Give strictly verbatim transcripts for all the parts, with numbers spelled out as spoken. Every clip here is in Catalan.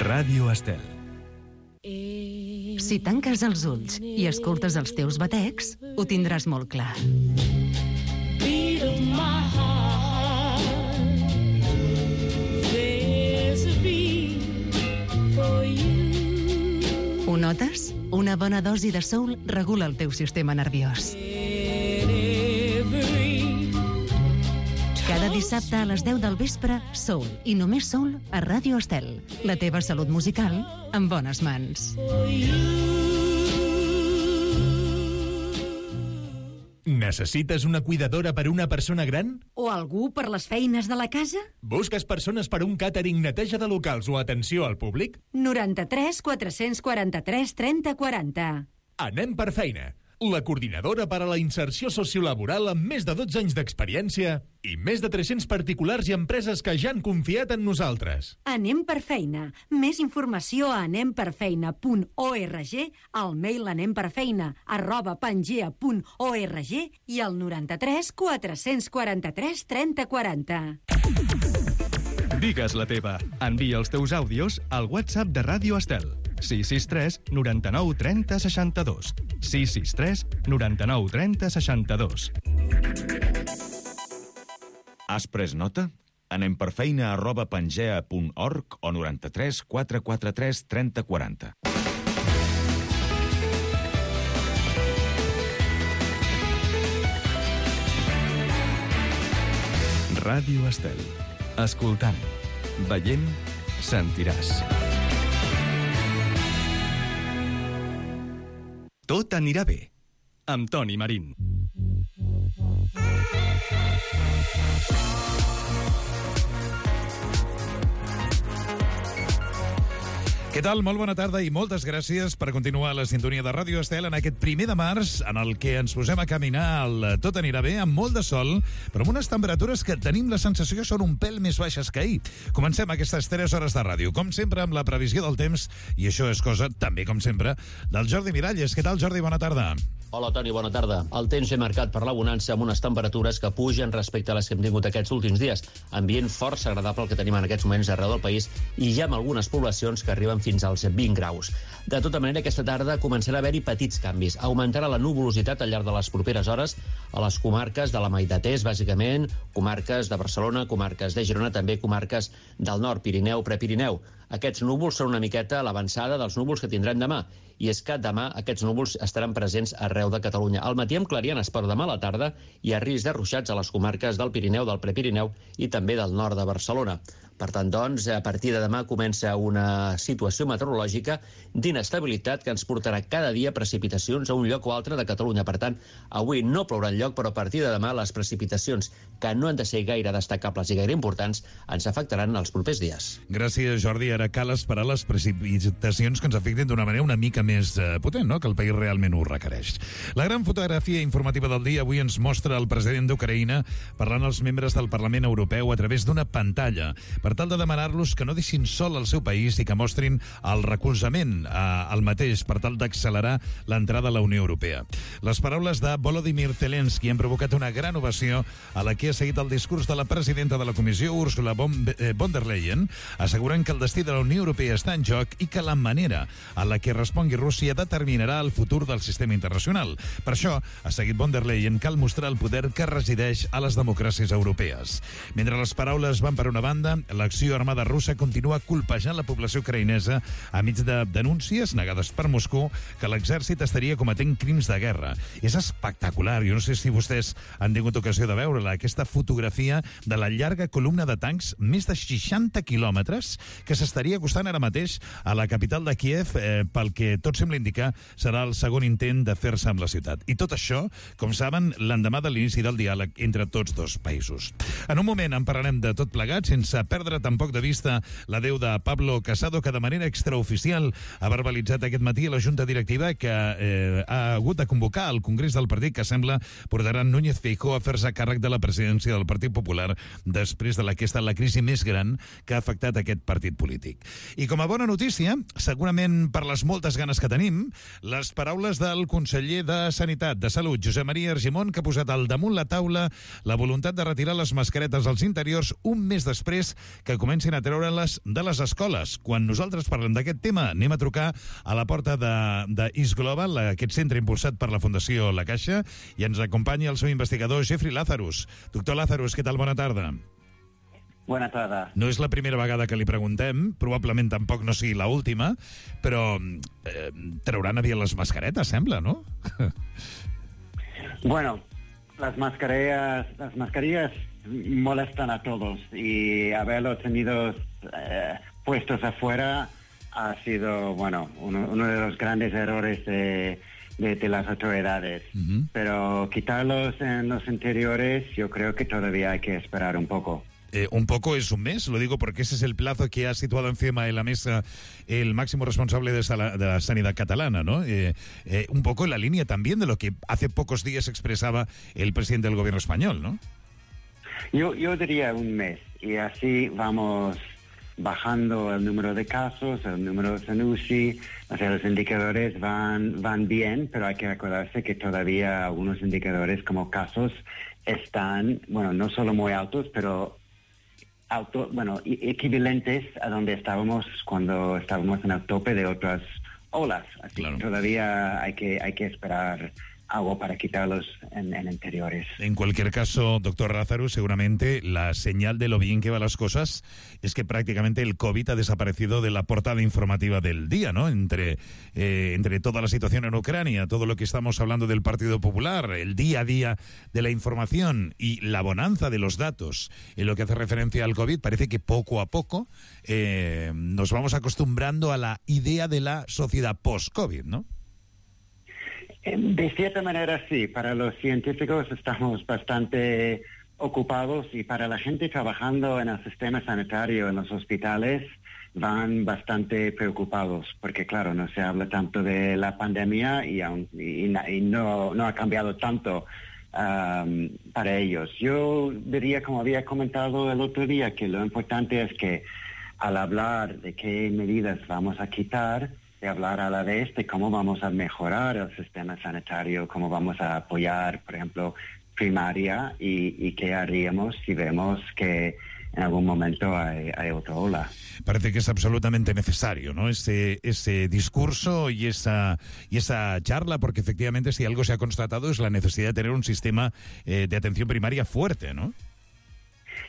Ràdio Estel. Si tanques els ulls i escoltes els teus batecs, ho tindràs molt clar. Ho notes? Una bona dosi de soul regula el teu sistema nerviós. Cada dissabte a les deu del vespre, Soul, i només Soul, a Ràdio Estel. La teva salut musical en bones mans. Necessites una cuidadora per a una persona gran? O algú per les feines de la casa? Busques persones per a un càtering, neteja de locals o atenció al públic? noranta-tres quatre-cents quaranta-tres trenta quaranta. Anem per feina. La coordinadora per a la inserció sociolaboral amb més de dotze anys d'experiència i més de tres-cents particulars i empreses que ja han confiat en nosaltres. Anem per feina. Més informació a anem per feina punt org, al mail anemperfeina arroba pangea punt org i al noranta-tres quatre-cents quaranta-tres trenta quaranta. Digues la teva. Envia els teus àudios al WhatsApp de Ràdio Estel. sis sis tres noranta-nou trenta seixanta-dos. sis sis tres noranta-nou trenta seixanta-dos. Has pres nota? Anem per feina arroba pangea punt org o noranta-tres quatre quaranta-tres trenta quaranta. Ràdio Estel. Escoltant, veient, sentiràs. Tot anirà bé, amb Toni Marín. Què tal? Molt bona tarda i moltes gràcies per continuar a la sintonia de Ràdio Estel en aquest primer de març, en el que ens posem a caminar al Tot anirà bé, amb molt de sol, però amb unes temperatures que tenim la sensació que són un pèl més baixes que ahir. Comencem aquestes tres hores de ràdio, com sempre amb la previsió del temps, i això és cosa, també com sempre, del Jordi Miralles. Què tal, Jordi? Bona tarda. Hola, Toni, bona tarda. El temps ve marcat per la bonança amb unes temperatures que pugen respecte a les que hem tingut aquests últims dies. Ambient força agradable el que tenim en aquests moments arreu del país i ja amb algunes poblacions que arriben fins als vint graus. De tota manera, aquesta tarda començarà a haver-hi petits canvis. Augmentarà la nuvolositat al llarg de les properes hores a les comarques de la meitat est, bàsicament, comarques de Barcelona, comarques de Girona, també comarques del nord, Pirineu, Prepirineu. Aquests núvols són una miqueta a l'avançada dels núvols que tindrem demà. I és que demà aquests núvols estaran presents arreu de Catalunya. Al matí amb clarianes, però demà a la tarda hi ha risc de ruixats a les comarques del Pirineu, del Prepirineu i també del nord de Barcelona. Per tant, doncs, a partir de demà comença una situació meteorològica d'inestabilitat que ens portarà cada dia precipitacions a un lloc o altre de Catalunya. Per tant, avui no plourà enlloc, però a partir de demà les precipitacions, que no han de ser gaire destacables i gaire importants, ens afectaran els propers dies. Gràcies, Jordi. Ara cal esperar les precipitacions que ens afectin d'una manera una mica més eh, potent, no? Que el país realment ho requereix. La gran fotografia informativa del dia avui ens mostra el president d'Ucraïna parlant als membres del Parlament Europeu a través d'una pantalla per tal de demanar-los que no deixin sol el seu país i que mostrin el recolzament eh, al mateix per tal d'accelerar l'entrada a la Unió Europea. Les paraules de Volodymyr Zelensky han provocat una gran ovació a la que ha seguit el discurs de la presidenta de la Comissió, Ursula von der Leyen, assegurant que el destí de la Unió Europea està en joc i que la manera en la que respongui Rússia determinarà el futur del sistema internacional. Per això, ha seguit von der Leyen, cal mostrar el poder que resideix a les democràcies europees. Mentre les paraules van per una banda, l'acció armada russa continua colpejant la població ucraïnesa a mig de denúncies negades per Moscou que l'exèrcit estaria cometent crims de guerra. És espectacular. Jo no sé si vostès han tingut ocasió de veure-la, aquesta fotografia de la llarga columna de tancs, més de seixanta quilòmetres, que s'estaria acostant ara mateix a la capital de Kíev, eh, pel que tot sembla indicar serà el segon intent de fer-se amb la ciutat. I tot això, com saben, l'endemà de l'inici del diàleg entre tots dos països. En un moment en parlarem de tot plegat, sense perdre tampoc de vista l'adeu de Pablo Casado, que de manera extraoficial ha verbalitzat aquest matí a la Junta Directiva que eh, ha hagut de convocar el Congrés del Partit, que sembla portarà Núñez Feijóo a fer-se càrrec de la presidència del Partit Popular després de la que ha estat la crisi més gran que ha afectat aquest partit polític. polític. I com a bona notícia, segurament per les moltes ganes que tenim, les paraules del conseller de Sanitat, de Salut, Josep Maria Argimon, que ha posat al damunt la taula la voluntat de retirar les mascaretes als interiors un mes després que comencin a treure-les de les escoles. Quan nosaltres parlem d'aquest tema, anem a trucar a la porta de, de East Global, aquest centre impulsat per la Fundació La Caixa, i ens acompanya el seu investigador, Jeffrey Lazarus. Doctor Lazarus, què tal? Bona tarda. Bona tarda. No és la primera vegada que li preguntem, probablement tampoc no sigui l'última, però eh, trauran aviat les mascaretes, sembla, ¿no? Bueno, las mascarillas, las mascarillas molestan a todos y haberlo tenido eh, puestos afuera ha sido, bueno, uno, uno de los grandes errores de, de, de las autoridades. Uh-huh. Pero quitarlos en los interiores, yo creo que todavía hay que esperar un poco. Eh, un poco es un mes, lo digo porque ese es el plazo que ha situado encima de la mesa el máximo responsable de, sala, de la sanidad catalana, ¿no? Eh, eh, un poco en la línea también de lo que hace pocos días expresaba el presidente del gobierno español, ¿no? Yo, yo diría un mes, y así vamos bajando el número de casos, el número de U C I, o sea, los indicadores van, van bien, pero hay que acordarse que todavía algunos indicadores como casos están, bueno, no solo muy altos, pero Auto, bueno, equivalentes a donde estábamos cuando estábamos en el tope de otras olas. Así claro. que todavía hay que, hay que esperar algo para quitarlos en, en interiores. En cualquier caso, doctor Lazarus, seguramente la señal de lo bien que van las cosas es que prácticamente el COVID ha desaparecido de la portada informativa del día, ¿no? Entre, eh, entre toda la situación en Ucrania, todo lo que estamos hablando del Partido Popular, el día a día de la información y la bonanza de los datos en lo que hace referencia al COVID, parece que poco a poco eh, nos vamos acostumbrando a la idea de la sociedad post-COVID, ¿no? De cierta manera sí, para los científicos estamos bastante ocupados y para la gente trabajando en el sistema sanitario, en los hospitales, van bastante preocupados porque claro, no se habla tanto de la pandemia y, aun, y, y no, no ha cambiado tanto um, para ellos. Yo diría, como había comentado el otro día, que lo importante es que al hablar de qué medidas vamos a quitar, de hablar a la vez de cómo vamos a mejorar el sistema sanitario, cómo vamos a apoyar, por ejemplo, primaria y, y qué haríamos si vemos que en algún momento hay, hay otra ola. Parece que es absolutamente necesario, ¿no? Ese, ese discurso y esa, y esa charla, porque efectivamente si algo se ha constatado es la necesidad de tener un sistema eh, de atención primaria fuerte, ¿no?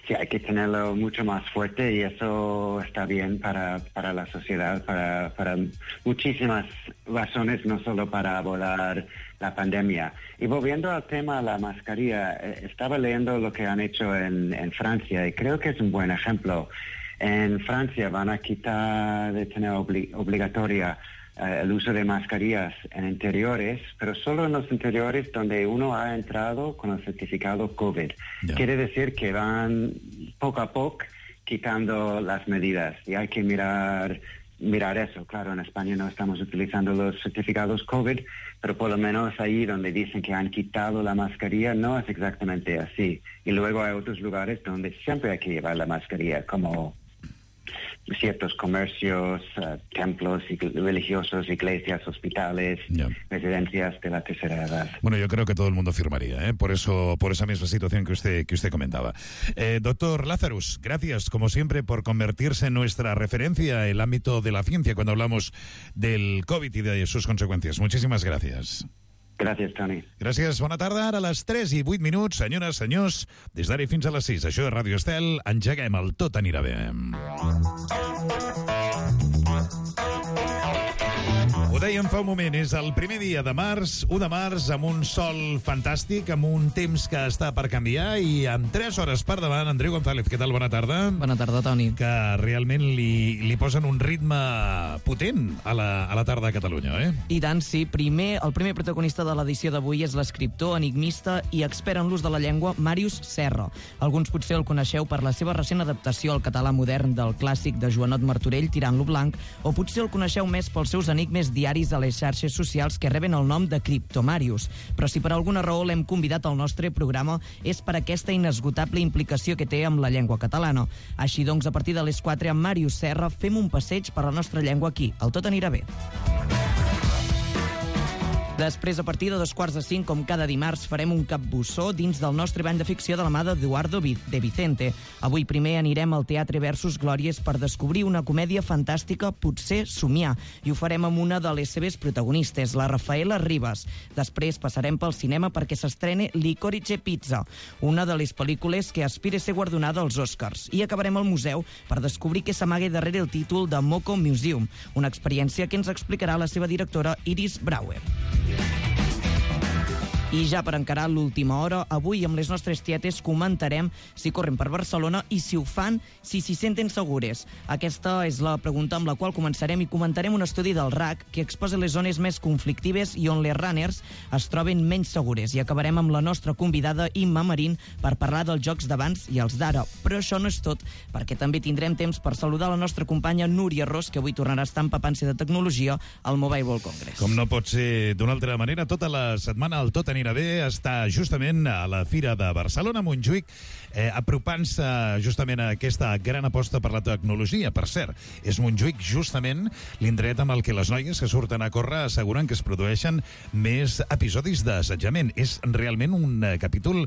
Sí, hay que tenerlo mucho más fuerte y eso está bien para, para la sociedad, para, para muchísimas razones, no solo para abordar la pandemia. Y volviendo al tema de la mascarilla, eh, estaba leyendo lo que han hecho en, en Francia y creo que es un buen ejemplo. En Francia van a quitar de tener obli- obligatoria Uh, el uso de mascarillas en interiores, pero solo en los interiores donde uno ha entrado con el certificado COVID. Yeah. Quiere decir que van poco a poco quitando las medidas y hay que mirar mirar eso. Claro, en España no estamos utilizando los certificados COVID, pero por lo menos ahí donde dicen que han quitado la mascarilla no es exactamente así. Y luego hay otros lugares donde siempre hay que llevar la mascarilla, como ciertos comercios, uh, templos religiosos, iglesias, hospitales, yeah. residencias de la tercera edad. Bueno, yo creo que todo el mundo firmaría, ¿eh? Por eso, por esa misma situación que usted que usted comentaba. Eh, doctor Lazarus, gracias, como siempre, por convertirse en nuestra referencia en el ámbito de la ciencia cuando hablamos del COVID y de sus consecuencias. Muchísimas gracias. Gràcies, Toni. Gràcies, bona tarda. Ara a les tres i vuit minuts, senyores, senyors, des d'ara fins a les sis. Això és Ràdio Estel, engeguem el Tot anirà bé. Ho dèiem fa un moment, és el primer dia de març, u de març, amb un sol fantàstic, amb un temps que està per canviar i amb tres hores per davant. Andreu González, què tal? Bona tarda. Bona tarda, Toni. Que realment li, li posen un ritme potent a la, a la tarda a Catalunya, eh? I tant, sí. Primer, el primer protagonista de l'edició d'avui és l'escriptor, enigmista i expert en l'ús de la llengua Màrius Serra. Alguns potser el coneixeu per la seva recent adaptació al català modern del clàssic de Joanot Martorell, Tirant lo blanc, o potser el coneixeu més pels seus enigmes diaris usuaris a les xarxes socials que reben el nom de Criptomarius. Però si per alguna raó l'hem convidat al nostre programa és per aquesta inesgotable implicació que té amb la llengua catalana. Així doncs, a partir de les quatre amb Màrius Serra fem un passeig per la nostra llengua aquí, al Tot anirà bé. Després, a partir de dos quarts de cinc, com cada dimarts, farem un capbussó dins del nostre bany de ficció de la mà d'Eduardo de Vicente. Avui primer anirem al Teatre Versus Glòries per descobrir una comèdia fantàstica, potser somiar, i ho farem amb una de les seves protagonistes, la Rafaela Rivas. Després passarem pel cinema perquè s'estrene Licorice Pizza, una de les pel·lícules que aspira a ser guardonada als Oscars. I acabarem al museu per descobrir què s'amaga darrere el títol de Moco Museum, una experiència que ens explicarà la seva directora Iris Brauer. I ja per encarar l'última hora, avui amb les nostres tietes comentarem si corren per Barcelona i si ho fan, si s'hi senten segures. Aquesta és la pregunta amb la qual començarem i comentarem un estudi del R A C que exposa les zones més conflictives i on les runners es troben menys segures. I acabarem amb la nostra convidada Imma Marín per parlar dels jocs d'abans i els d'ara. Però això no és tot, perquè també tindrem temps per saludar la nostra companya Núria Ros, que avui tornarà a estar empapant-se de tecnologia al Mobile World Congress. Com no pot ser d'una altra manera, tota la setmana el Tot anirà bé està justament a la Fira de Barcelona, Montjuïc, eh, apropant-se justament a aquesta gran aposta per la tecnologia. Per cert, és Montjuïc justament l'indret amb el que les noies que surten a córrer asseguren que es produeixen més episodis d'assetjament. És realment un eh, capítol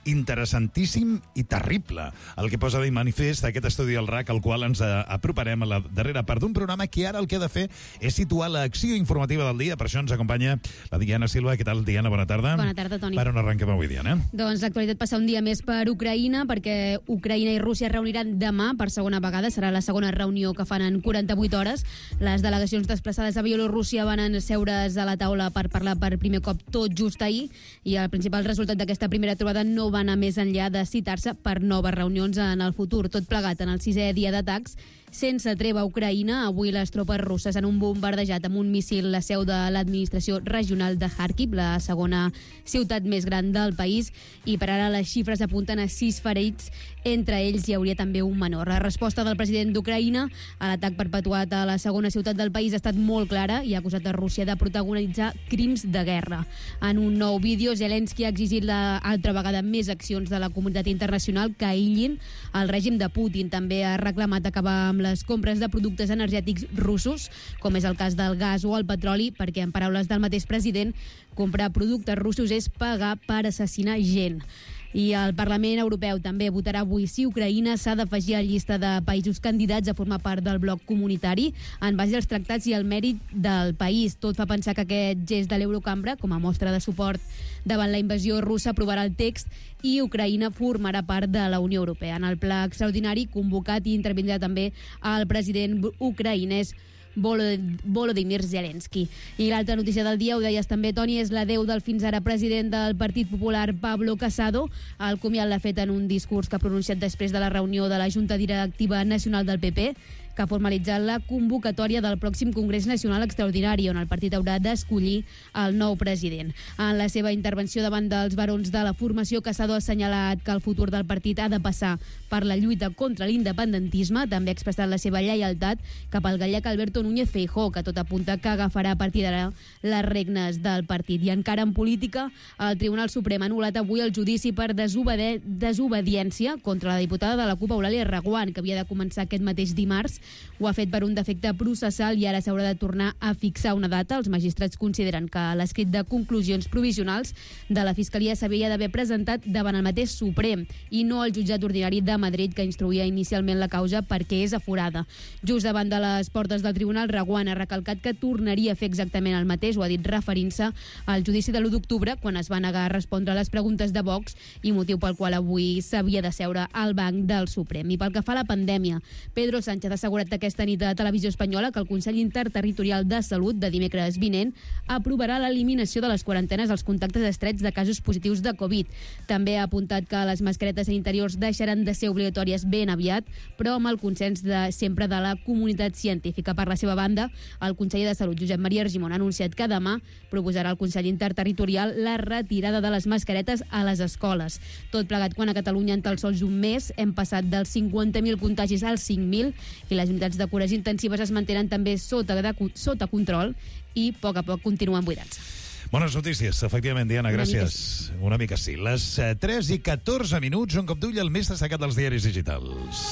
interessantíssim i terrible, el que posa de manifest aquest estudi del R A C, al qual ens aproparem a la darrera part d'un programa que ara el que ha de fer és situar l'acció informativa del dia. Per això ens acompanya la Diana Silva. Què tal, Diana? Bona tarda. Bona tarda, Toni. Per on arrenquem avui, Diana? Doncs l'actualitat passa un dia més per Ucraïna, perquè Ucraïna i Rússia es reuniran demà per segona vegada. Serà la segona reunió que fan en quaranta-vuit hores. Les delegacions desplaçades a Bielorússia van asseure's a la taula per parlar per primer cop tot just ahir, i el principal resultat d'aquesta primera trobada no va anar més enllà de citar-se per noves reunions en el futur. Tot plegat en el sisè dia d'atacs sense treva a Ucraïna. Avui les tropes russes han bombardejat amb un míssil la seu de l'administració regional de Kharkiv, la segona ciutat més gran del país, i per ara les xifres apunten a sis ferits. Entre ells hi hauria també un menor. La resposta del president d'Ucraïna a l'atac perpetuat a la segona ciutat del país ha estat molt clara i ha acusat a Rússia de protagonitzar crims de guerra. En un nou vídeo, Zelensky ha exigit la altra vegada més accions de la comunitat internacional que aïllin el règim de Putin. També ha reclamat acabar amb les compres de productes energètics russos, com és el cas del gas o el petroli, perquè, en paraules del mateix president, comprar productes russos és pagar per assassinar gent. I el Parlament Europeu també votarà avui si Ucraïna s'ha d'afegir a la llista de països candidats a formar part del bloc comunitari en base als tractats i al mèrit del país. Tot fa pensar que aquest gest de l'Eurocambra, com a mostra de suport davant la invasió russa, aprovarà el text i Ucraïna formarà part de la Unió Europea. En el pla extraordinari convocat i intervindrà també el president ucraïnès Volodymyr Zelensky. I l'altra notícia del dia, ho deies també, Toni, és l'adeu del fins ara president del Partit Popular, Pablo Casado. El comiat l'ha fet en un discurs que ha pronunciat després de la reunió de la Junta Directiva Nacional del P P, que ha formalitzat la convocatòria del pròxim Congrés Nacional Extraordinari, on el partit haurà d'escollir el nou president. En la seva intervenció davant dels barons de la formació, Casado ha assenyalat que el futur del partit ha de passar per la lluita contra l'independentisme. També ha expressat la seva lleialtat cap al gallec Alberto Núñez Feijóo, que tot apunta que agafarà a partir d'ara les regnes del partit. I encara en política, el Tribunal Suprem ha anul·lat avui el judici per desobedi- desobediència contra la diputada de la CUP, Eulàlia Reguant, que havia de començar aquest mateix dimarts. Ho ha fet per un defecte processal i ara s'haurà de tornar a fixar una data. Els magistrats consideren que l'escrit de conclusions provisionals de la Fiscalia s'havia d'haver presentat davant el mateix Suprem i no al jutjat ordinari de Madrid, que instruïa inicialment la causa perquè és aforada. Just davant de les portes del tribunal, Reguant ha recalcat que tornaria a fer exactament el mateix, ho ha dit referint-se al judici de l'u d'octubre, quan es va negar a respondre a les preguntes de Vox, i motiu pel qual avui s'havia de seure al banc del Suprem. I pel que fa a la pandèmia, Pedro Sánchez ha assegurat aquesta nit a Televisió Espanyola que el Consell Interterritorial de Salut de dimecres vinent aprovarà l'eliminació de les quarantenes als contactes estrets de casos positius de Covid. També ha apuntat que les mascaretes interiors deixaran de ser obligatòries ben aviat, però amb el consens de sempre de la comunitat científica. Per la seva banda, el conseller de Salut, Josep Maria Argimon, ha anunciat que demà proposarà al Consell Interterritorial la retirada de les mascaretes a les escoles. Tot plegat quan a Catalunya en tan sols un mes hem passat dels cinquanta mil contagis als cinc mil i la les unitats de cures intensives es mantenen també sota, de, sota control i a poc a poc continuen buidant-se. Bones notícies, efectivament, Diana, Una gràcies. mica sí. Una mica sí. Les eh, tres i catorze minuts, un cop d'ull al més destacat dels diaris digitals.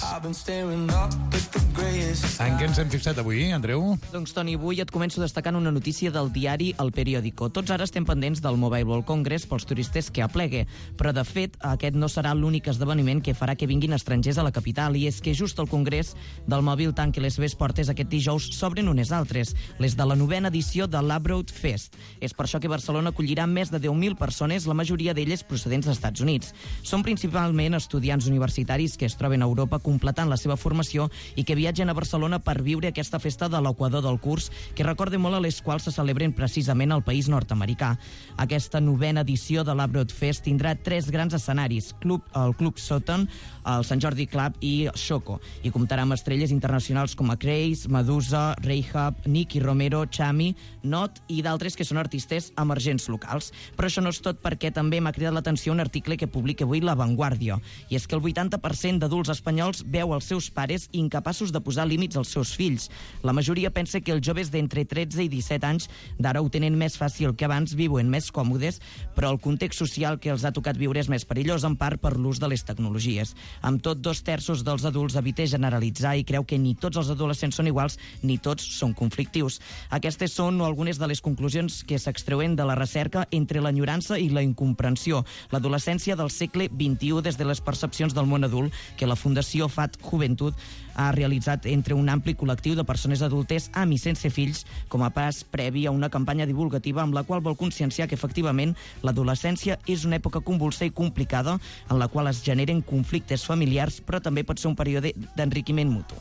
En què ens hem fixat avui, Andreu? Doncs, Toni, avui et començo destacant una notícia del diari El Periódico. Tots ara estem pendents del Mobile World Congress pels turistes que aplegue, però, de fet, aquest no serà l'únic esdeveniment que farà que vinguin estrangers a la capital, i és que just el Congrés del Mòbil tant que les seves portes aquest dijous s'obren unes altres, les de la novena edició de l'Abroad Fest. És per això que Barcelona acollirà més de deu mil persones, la majoria d'elles procedents dels Estats Units. Són principalment estudiants universitaris que es troben a Europa completant la seva formació i que viatgen a Barcelona per viure aquesta festa de l'equador del curs, que recorda molt a les quals se celebren precisament al país nord-americà. Aquesta novena edició de l'Abroad Fest tindrà tres grans escenaris, Club, el Club Sutton, el Sant Jordi Club i Xoco, i comptarà amb estrelles internacionals com a Craze, Medusa, Rehab, Nicky Romero, Chami, Not i d'altres que són artistes emergents locals. Però això no és tot, perquè també m'ha cridat l'atenció un article que publica avui La Vanguardia, i és que el vuitanta per cent d'adults espanyols veu els seus pares incapaços de posar límits als seus fills. La majoria pensa que els joves d'entre tretze i disset anys d'ara ho tenen més fàcil que abans, viuen més còmodes, però el context social que els ha tocat viure és més perillós, en part per l'ús de les tecnologies. Amb tot, dos terços dels adults evita generalitzar i creu que ni tots els adolescents són iguals ni tots són conflictius. Aquestes són algunes de les conclusions que s'extreuen de la recerca entre l'enyorança i la incomprensió, l'adolescència del segle vint-i-u des de les percepcions del món adult que la Fundació F A T Juventud ha realitzat entre un ampli col·lectiu de persones adultes amb i sense fills, com a pas previ a una campanya divulgativa amb la qual vol conscienciar que efectivament l'adolescència és una època convulsa i complicada en la qual es generen conflictes familiars, però també pot ser un període d'enriquiment mutu.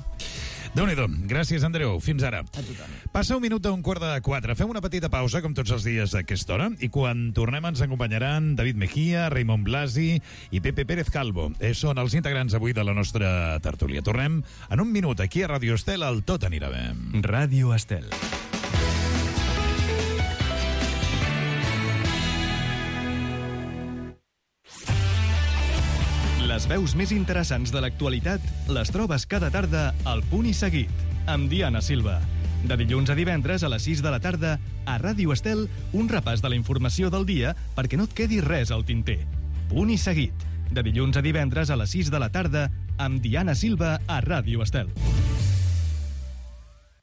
Déu-n'hi-do. Gràcies, Andreu. Fins ara. A tothom. Passa un minut a un quart de quatre. Fem una petita pausa, com tots els dies a aquesta hora, i quan tornem ens acompanyaran David Mejía, Raimon Blasi i Pepe Pérez Calvo. Eh, són els integrants avui de la nostra tertúlia. Tornem en un minut aquí a Ràdio Estel, al Tot anirà bé. Ràdio Estel. Les veus més interessants de l'actualitat les trobes cada tarda al Punt i Seguit, amb Diana Silva. De dilluns a divendres a les sis de la tarda, a Ràdio Estel, un repàs de la informació del dia perquè no et quedi res al tinter. Punt i Seguit, de dilluns a divendres a les sis de la tarda, amb Diana Silva a Ràdio Estel.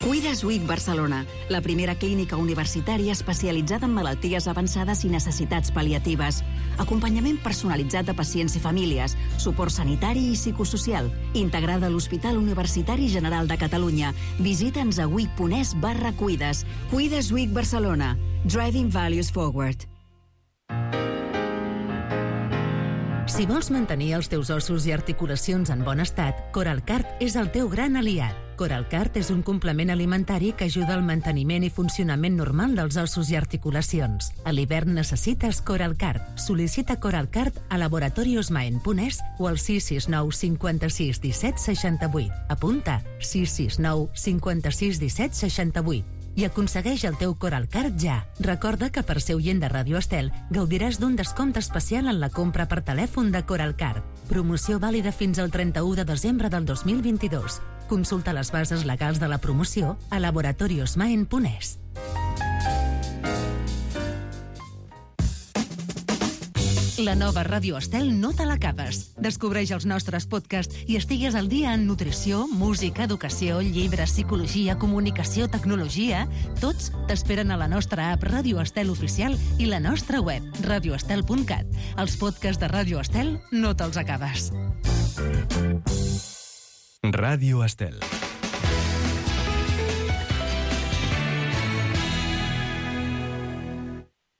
Cuides U I C Barcelona, la primera clínica universitària especialitzada en malalties avançades i necessitats pal·liatives. Acompanyament personalitzat de pacients i famílies, suport sanitari i psicosocial, integrada a l'Hospital Universitari General de Catalunya. Visita'ns a uic.es barra cuides. Cuides U I C Barcelona. Driving Values Forward. Si vols mantenir els teus ossos i articulacions en bon estat, Coralcart és el teu gran aliat. Coralcart és un complement alimentari que ajuda al manteniment i funcionament normal dels ossos i articulacions. A l'hivern necessites Coralcart. Sol·licita Coralcart a laboratoriosmaen punt es o al sis sis nou cinquanta-sis disset seixanta-vuit. Apunta sis sis nou cinquanta-sis disset seixanta-vuit. I aconsegueix el teu Coralcart ja. Recorda que per ser oient de Ràdio Estel gaudiràs d'un descompte especial en la compra per telèfon de Coralcart. Promoció vàlida fins al trenta-u de desembre del dos mil vint-i-dos. Consulta les bases legals de la promoció a laboratoriosmaen punt es. La nova Ràdio Estel no te l'acabes. Descobreix els nostres podcasts i estigues al dia en nutrició, música, educació, llibres, psicologia, comunicació, tecnologia. Tots t'esperen a la nostra app Ràdio Estel Oficial i la nostra web, radio estel punt cat. Els podcasts de Ràdio Estel no te'ls acabes. Ràdio Estel.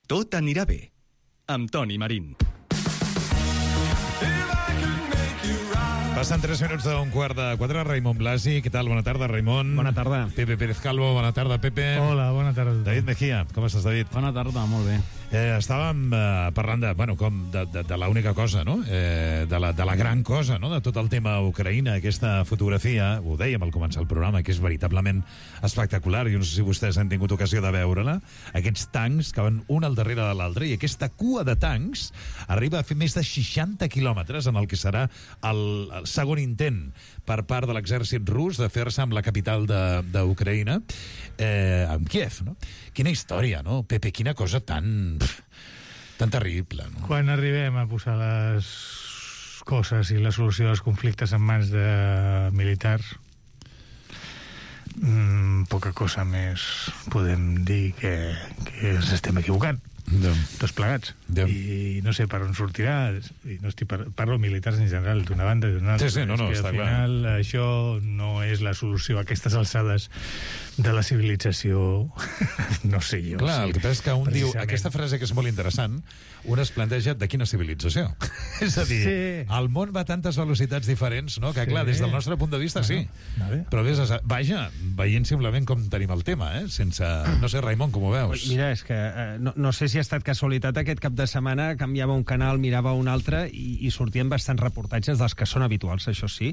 Tot anirà bé, amb Toni Marín. Passen tres minuts d'un quart de quatre. Raimon Blasi, què tal? Bona tarda, Raimon. Bona tarda. Pepe Pérez Calvo, bona tarda, Pepe. Hola, bona tarda. David Mejía, com estàs, David? Bona tarda, molt bé. Eh, estàvem eh, parlant de, bueno, com de, de, de l'única cosa, no? Eh, de, la, de la gran cosa, no? De tot el tema Ucraïna, aquesta fotografia, ho dèiem al començar el programa, que és veritablement espectacular. Jo no sé si vostès han tingut ocasió de veure-la. Aquests tancs que van un al darrere de l'altre, i aquesta cua de tancs arriba a fer més de seixanta quilòmetres en el que serà el, el segon intent per part de l'exèrcit rus de fer-se amb la capital d'Ucraïna, eh, amb Kiev, no? Quina història, no? Pepe, quina cosa tan... tan terrible, no? Quan arribem a posar les coses i la solució dels conflictes en mans de militars, mmm, poca cosa més podem dir que, que ens estem equivocant. Yeah. Tots plegats. Yeah. I no sé per on sortirà, i no estic par parlo militars en general, d'una banda i d'una altra. Sí, sí, no, no, és que està al final clar. Això no és la solució a aquestes alçades de la civilització. No sé jo. Clar, sí, el que passa és que un diu, aquesta frase que és molt interessant, un es planteja de quina civilització. És a dir, sí. El món va a tantes velocitats diferents, no? Que clar, sí. Des del nostre punt de vista, sí. Vale. Però ves, vaja, veient simplement com tenim el tema, eh? Sense... No sé, Raimon, com ho veus? Mira, és que eh, no, no sé si ha estat casualitat aquest cap de setmana, canviava un canal, mirava un altre i, i sortien bastants reportatges dels que són habituals, això sí,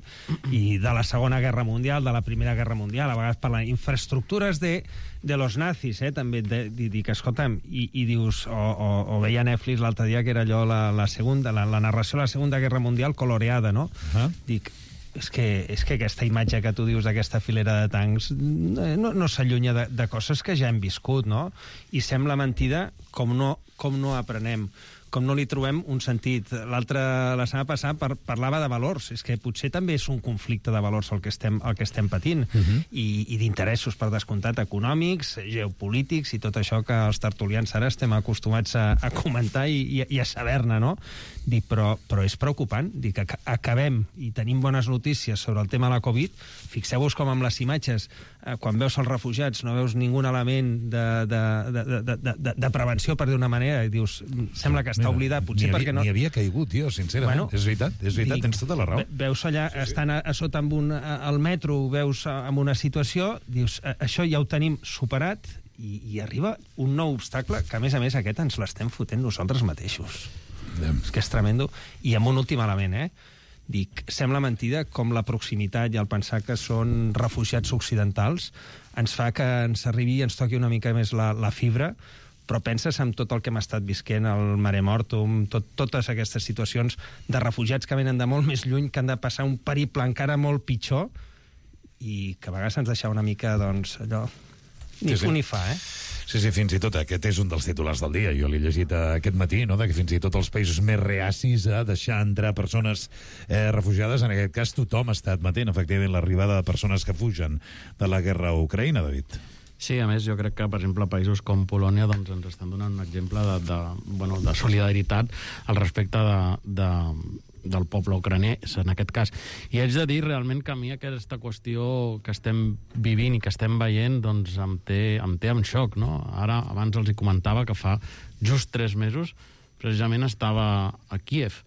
i de la Segona Guerra Mundial, de la Primera Guerra Mundial, a vegades parlant infraestructures de, de los nazis, eh, també, de, de, de que, escolta'm, i, i dius, o, o, o veia Netflix l'altre dia, que era allò, la, la, segunda, la, la narració de la Segunda Guerra Mundial coloreada, no? Uh -huh. Dic, és que, és que aquesta imatge que tu dius d'aquesta filera de tancs no, no s'allunya de, de coses que ja hem viscut, no? I sembla mentida com no, com no aprenem, com no li trobem un sentit. L'altre, la setmana passada, par parlava de valors. És que potser també és un conflicte de valors el que estem, el que estem patint. Uh -huh. I, i d'interessos, per descomptat, econòmics, geopolítics i tot això que els tertulians ara estem acostumats a, a comentar i, i, i a saber-ne, no? Dic, però, però és preocupant. Dic, que acabem i tenim bones notícies sobre el tema de la Covid. Fixeu-vos com amb les imatges, eh, quan veus els refugiats, no veus ningun element de, de, de, de, de, de prevenció, per dir una manera, i dius, sembla que està oblidat, potser ni perquè havia, no... Ni havia caigut, tio, sincerament. Bueno, és veritat, és veritat, dic, tens tota la raó. Veus allà, sí, sí. Estan a, a sota amb un, a, al metro, veus en una situació, dius, a, això ja ho tenim superat, i, i arriba un nou obstacle que, a més a més, aquest ens l'estem fotent nosaltres mateixos. Yeah. És que és tremendo. I amb un últim element, eh? Dic, sembla mentida com la proximitat i el pensar que són refugiats occidentals ens fa que ens arribi i ens toqui una mica més la, la fibra, però penses en tot el que hem estat visquent, el Mare Mortum, tot, totes aquestes situacions de refugiats que venen de molt més lluny, que han de passar un periple encara molt pitjor, i que a vegades ens deixa una mica, doncs, allò... Ni sí, sí. fu ni fa, eh? Sí, sí, fins i tot aquest és un dels titulars del dia. Jo l'he llegit aquest matí, no?, de que fins i tot els països més reacis a deixar entrar persones eh, refugiades, en aquest cas tothom està admetent, efectivament, l'arribada de persones que fugen de la guerra a Ucraïna, David. Sí, a més, jo crec que, per exemple, països com Polònia doncs, ens estan donant un exemple de, de, bueno, de solidaritat al respecte de, de, del poble ucranès, en aquest cas. I haig de dir realment que a mi aquesta qüestió que estem vivint i que estem veient doncs, em, té, em té en xoc, no? Ara, abans els hi comentava que fa just tres mesos precisament estava a Kíev,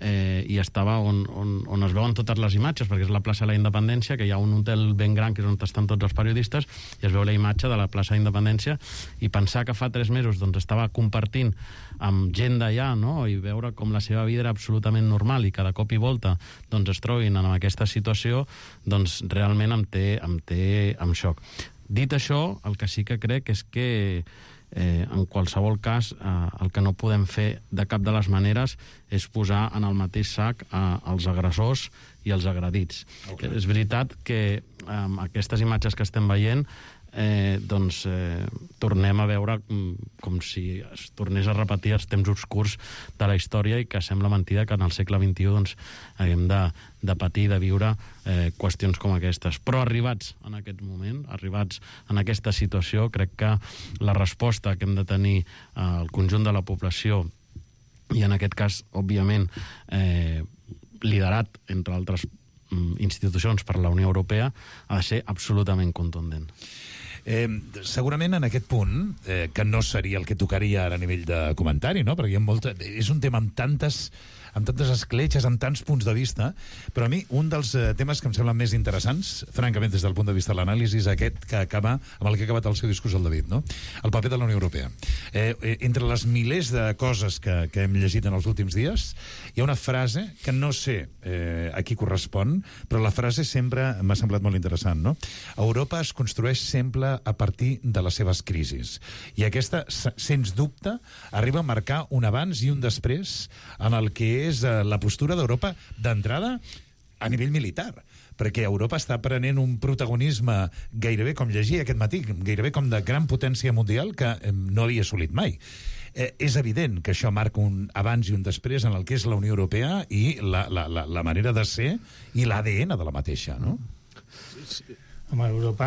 eh, i estava on, on, on es veuen totes les imatges, perquè és la plaça de la Independència, que hi ha un hotel ben gran, que és on estan tots els periodistes, i es veu la imatge de la plaça de la Independència, i pensar que fa tres mesos doncs, estava compartint amb gent d'allà, no?, i veure com la seva vida era absolutament normal i cada cop i volta doncs, es trobin en aquesta situació, doncs realment em té, em té en xoc. Dit això, el que sí que crec és que Eh, en qualsevol cas, eh, el que no podem fer de cap de les maneres és posar en el mateix sac eh, els agressors i els agredits. Okay. És veritat que amb eh, aquestes imatges que estem veient eh, doncs eh, tornem a veure com, com si es tornés a repetir els temps obscurs de la història i que sembla mentida que en el segle vint-i-u doncs, haguem de, de patir, de viure eh, qüestions com aquestes. Però arribats en aquest moment, arribats en aquesta situació, crec que la resposta que hem de tenir al eh, conjunt de la població i en aquest cas, òbviament, eh, liderat, entre altres institucions per la Unió Europea, ha de ser absolutament contundent. Eh, segurament en aquest punt, eh, que no seria el que tocaria ara a nivell de comentari, no?, perquè hi ha molta, és un tema amb tantes, amb tantes escletxes, amb tants punts de vista, però a mi un dels eh, temes que em semblen més interessants, francament, des del punt de vista de l'anàlisi, és aquest que acaba, amb el que ha acabat el seu discurs el David, no? El paper de la Unió Europea. Eh, eh, entre les milers de coses que, que hem llegit en els últims dies, hi ha una frase que no sé eh, a qui correspon, però la frase sempre m'ha semblat molt interessant, no? Europa es construeix sempre a partir de les seves crisis. I aquesta, sens dubte, arriba a marcar un abans i un després en el que és eh, la postura d'Europa d'entrada a nivell militar, perquè Europa està prenent un protagonisme gairebé, com llegia aquest matí, gairebé com de gran potència mundial que eh, no havia assolit mai. Eh, és evident que això marca un abans i un després en el que és la Unió Europea i la, la, la, la manera de ser i l'A D N de la mateixa, no? Sí, sí. Home, Europa,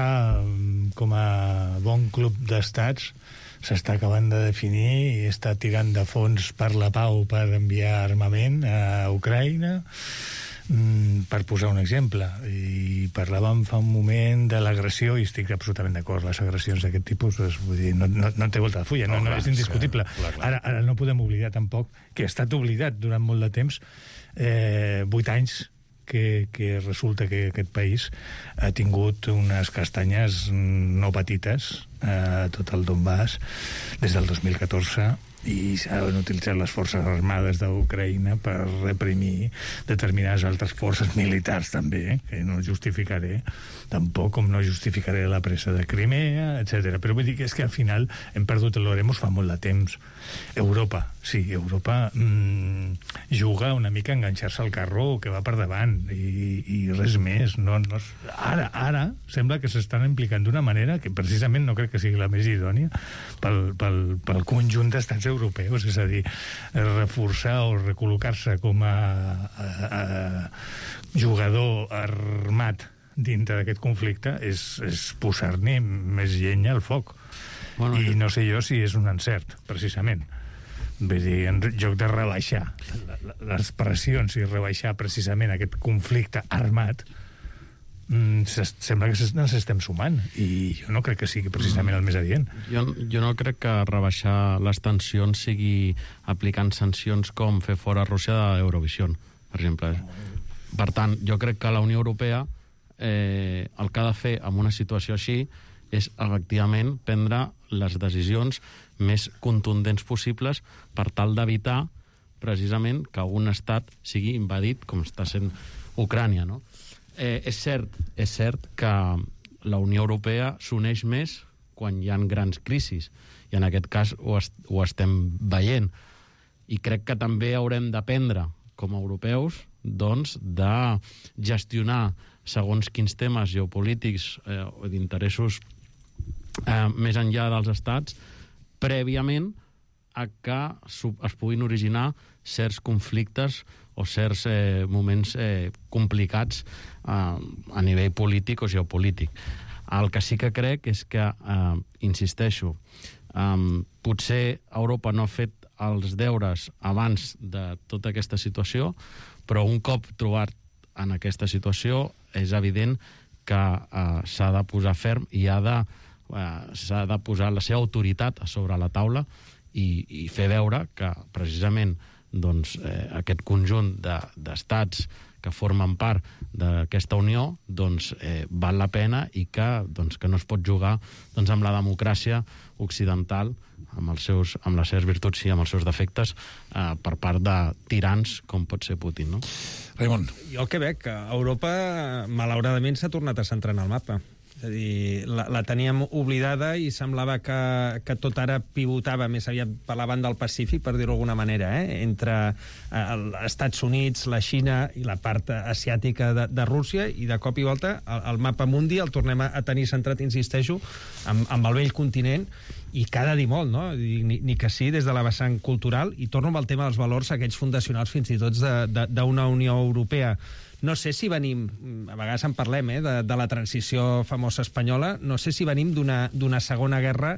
com a bon club d'estats, s'està acabant de definir i està tirant de fons per la pau per enviar armament a Ucraïna, per posar un exemple. I parlàvem fa un moment de l'agressió, i estic absolutament d'acord, les agressions d'aquest tipus, és, vull dir, no, no, no té volta de fulla, no, no, no és indiscutible. Clar, clar. Ara, ara no podem oblidar tampoc que ha estat oblidat durant molt de temps, eh, vuit anys, que, que resulta que aquest país ha tingut unes castanyes no petites a tot el Donbass des del dos mil catorze, i s'han utilitzat les forces armades d'Ucraïna per reprimir determinades altres forces militars també, eh? Que no justificaré tampoc, com no justificaré la presa de Crimea, etcètera. Però vull dir que és que al final hem perdut l'Oremus fa molt de temps. Europa, sí, Europa mmm, juga una mica a enganxar-se al carro que va per davant i, i res més. No, no, ara, ara sembla que s'estan implicant d'una manera que precisament no crec que sigui la més idònia pel, pel, pel conjunt d'estats europeus, és a dir, reforçar o recol·locar-se com a, a, a jugador armat dintre d'aquest conflicte és, és posar-ne més llenya al foc. Bueno, i no sé jo si és un encert, precisament. Vull dir, en lloc de rebaixar les pressions i rebaixar precisament aquest conflicte armat, sembla que ens estem sumant, i jo no crec que sigui precisament el més adient. Jo, jo no crec que rebaixar les tensions sigui aplicant sancions com fer fora Rússia d'Eurovisió, per exemple. Per tant, jo crec que la Unió Europea eh, el que ha de fer en una situació així és efectivament prendre les decisions més contundents possibles per tal d'evitar precisament que un estat sigui invadit com està sent Ucrània, no? Eh, és cert, és cert que la Unió Europea s'uneix més quan hi ha grans crisis, i en aquest cas ho, est ho estem veient. I crec que també haurem d'aprendre, com a europeus, doncs, de gestionar segons quins temes geopolítics eh, o d'interessos eh, més enllà dels estats, prèviament a que es puguin originar certs conflictes o certs eh, moments eh, complicats eh, a nivell polític o geopolític. El que sí que crec és que, eh, insisteixo, eh, potser Europa no ha fet els deures abans de tota aquesta situació, però un cop trobat en aquesta situació és evident que eh, s'ha de posar ferm i ha de, eh, s'ha de posar la seva autoritat a sobre la taula i, i fer veure que precisament doncs, eh, aquest conjunt d'estats de, que formen part d'aquesta unió doncs, eh, val la pena i que, doncs, que no es pot jugar doncs, amb la democràcia occidental, amb, els seus, amb les seves virtuts i amb els seus defectes, eh, per part de tirans com pot ser Putin. No? Raimon. Jo el que veig, que Europa, malauradament, s'ha tornat a centrar en el mapa. És a dir, la, la teníem oblidada i semblava que, que tot ara pivotava més aviat per la banda del Pacífic, per dir-ho d'alguna manera, eh? entre eh, els Estats Units, la Xina i la part asiàtica de, de Rússia, i de cop i volta el, el mapa mundi el tornem a, a tenir centrat, insisteixo, amb, amb el vell continent, i cada dir molt, no? Ni, ni que sí, des de la vessant cultural, i torno amb el tema dels valors, aquells fundacionals fins i tot d'una Unió Europea. No sé si venim, a vegades en parlem, eh, de, de la transició famosa espanyola, no sé si venim d'una segona guerra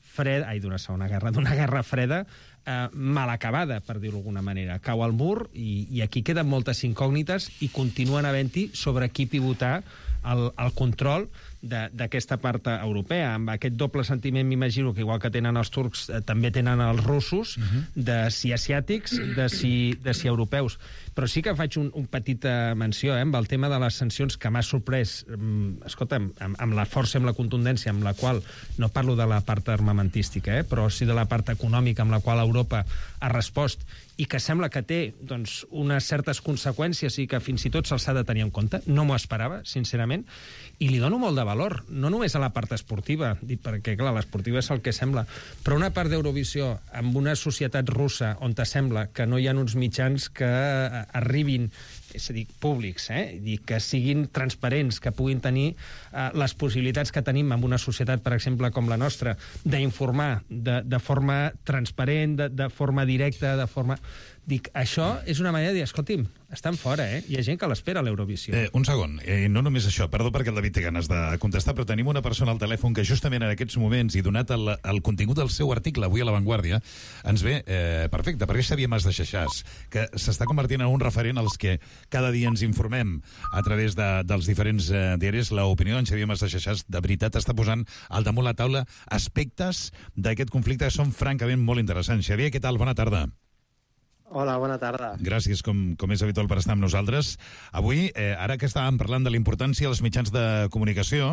freda, ai, d'una segona guerra, d'una guerra freda eh, mal acabada, per dir-ho d'alguna manera. Cau al mur i, i aquí queden moltes incògnites i continuen havent-hi sobre qui pivotar el, el control d'aquesta part europea, amb aquest doble sentiment, m'imagino que igual que tenen els turcs, eh, també tenen els russos, uh-huh. de si asiàtics, de si, de si europeus. Però sí que faig un, un petita menció eh, amb el tema de les sancions, que m'ha sorprès, um, escolta, amb, amb la força, amb la contundència, amb la qual, no parlo de la part armamentística, eh, però sí de la part econòmica amb la qual Europa ha respost, i que sembla que té doncs, unes certes conseqüències i que fins i tot se'ls ha de tenir en compte. No m'ho esperava, sincerament, i li dono molt de valor, no només a la part esportiva, dit perquè, clar, l'esportiva és el que sembla, però una part d'Eurovisió amb una societat russa on te sembla que no hi ha uns mitjans que arribin, és a dir, públics, eh? I que siguin transparents, que puguin tenir eh, les possibilitats que tenim en una societat, per exemple, com la nostra, d'informar de, de forma transparent, de, de forma directa, de forma... Dic, això és una manera de dir, escolti'm, estan fora, eh? Hi ha gent que l'espera a l'Eurovisió. Eh, un segon, eh, no només això, perdó perquè el David té ganes de contestar, però tenim una persona al telèfon que justament en aquests moments, i donat el, el contingut del seu article avui a La Vanguardia, ens ve eh, perfecte, perquè Xavier Mas de Xaixàs, que s'està convertint en un referent als que cada dia ens informem a través de, dels diferents eh, diaris. L'opinió d'en Xavier Mas de Xaixàs de veritat està posant al damunt la taula aspectes d'aquest conflicte que són francament molt interessants. Xavier, què tal? Bona tarda. Hola, bona tarda. Gràcies, com, com és habitual, per estar amb nosaltres. Avui, eh, ara que estàvem parlant de la importància dels mitjans de comunicació,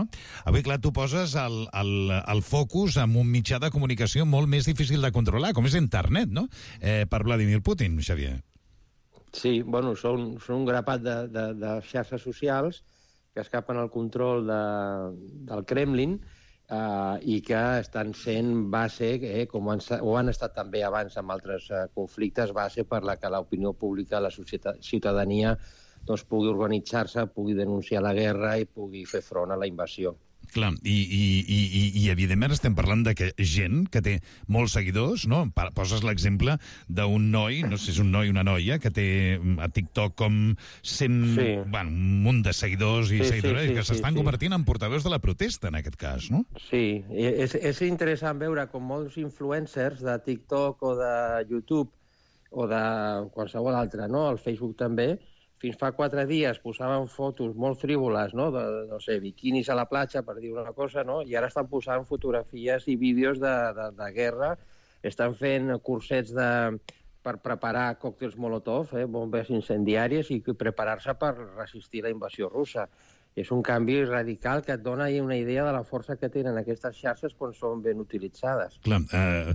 avui, clar, tu poses el, el, el focus en un mitjà de comunicació molt més difícil de controlar, com és internet, no?, eh, per Vladimir Putin, Xavier. Sí, bueno, són, són un grapat de, de, de xarxes socials que escapen al control de, del Kremlin, Uh, i que estan sent base, eh, com han, ho han estat també abans amb altres uh, conflictes, base per la que l'opinió pública, la societat, ciutadania, doncs, pugui organitzar-se, pugui denunciar la guerra i pugui fer front a la invasió. Clar, i, i, i, i, i evidentment estem parlant de que gent que té molts seguidors, no? Poses l'exemple d'un noi, no sé si és un noi o una noia, que té a TikTok com cent, sí. bueno, un munt de seguidors i sí, seguidores sí, sí, que s'estan sí, convertint sí. en portaveus de la protesta, en aquest cas, no? Sí, és, és interessant veure com molts influencers de TikTok o de YouTube o de qualsevol altre, no? El Facebook també, fins fa quatre dies posaven fotos molt frívoles, no?, de, no sé, biquinis a la platja, per dir una cosa, no?, i ara estan posant fotografies i vídeos de, de, de guerra, estan fent cursets de, per preparar còctels Molotov, eh, bombes incendiàries, i preparar-se per resistir la invasió russa. És un canvi radical que et dona una idea de la força que tenen aquestes xarxes quan són ben utilitzades. Clar, eh,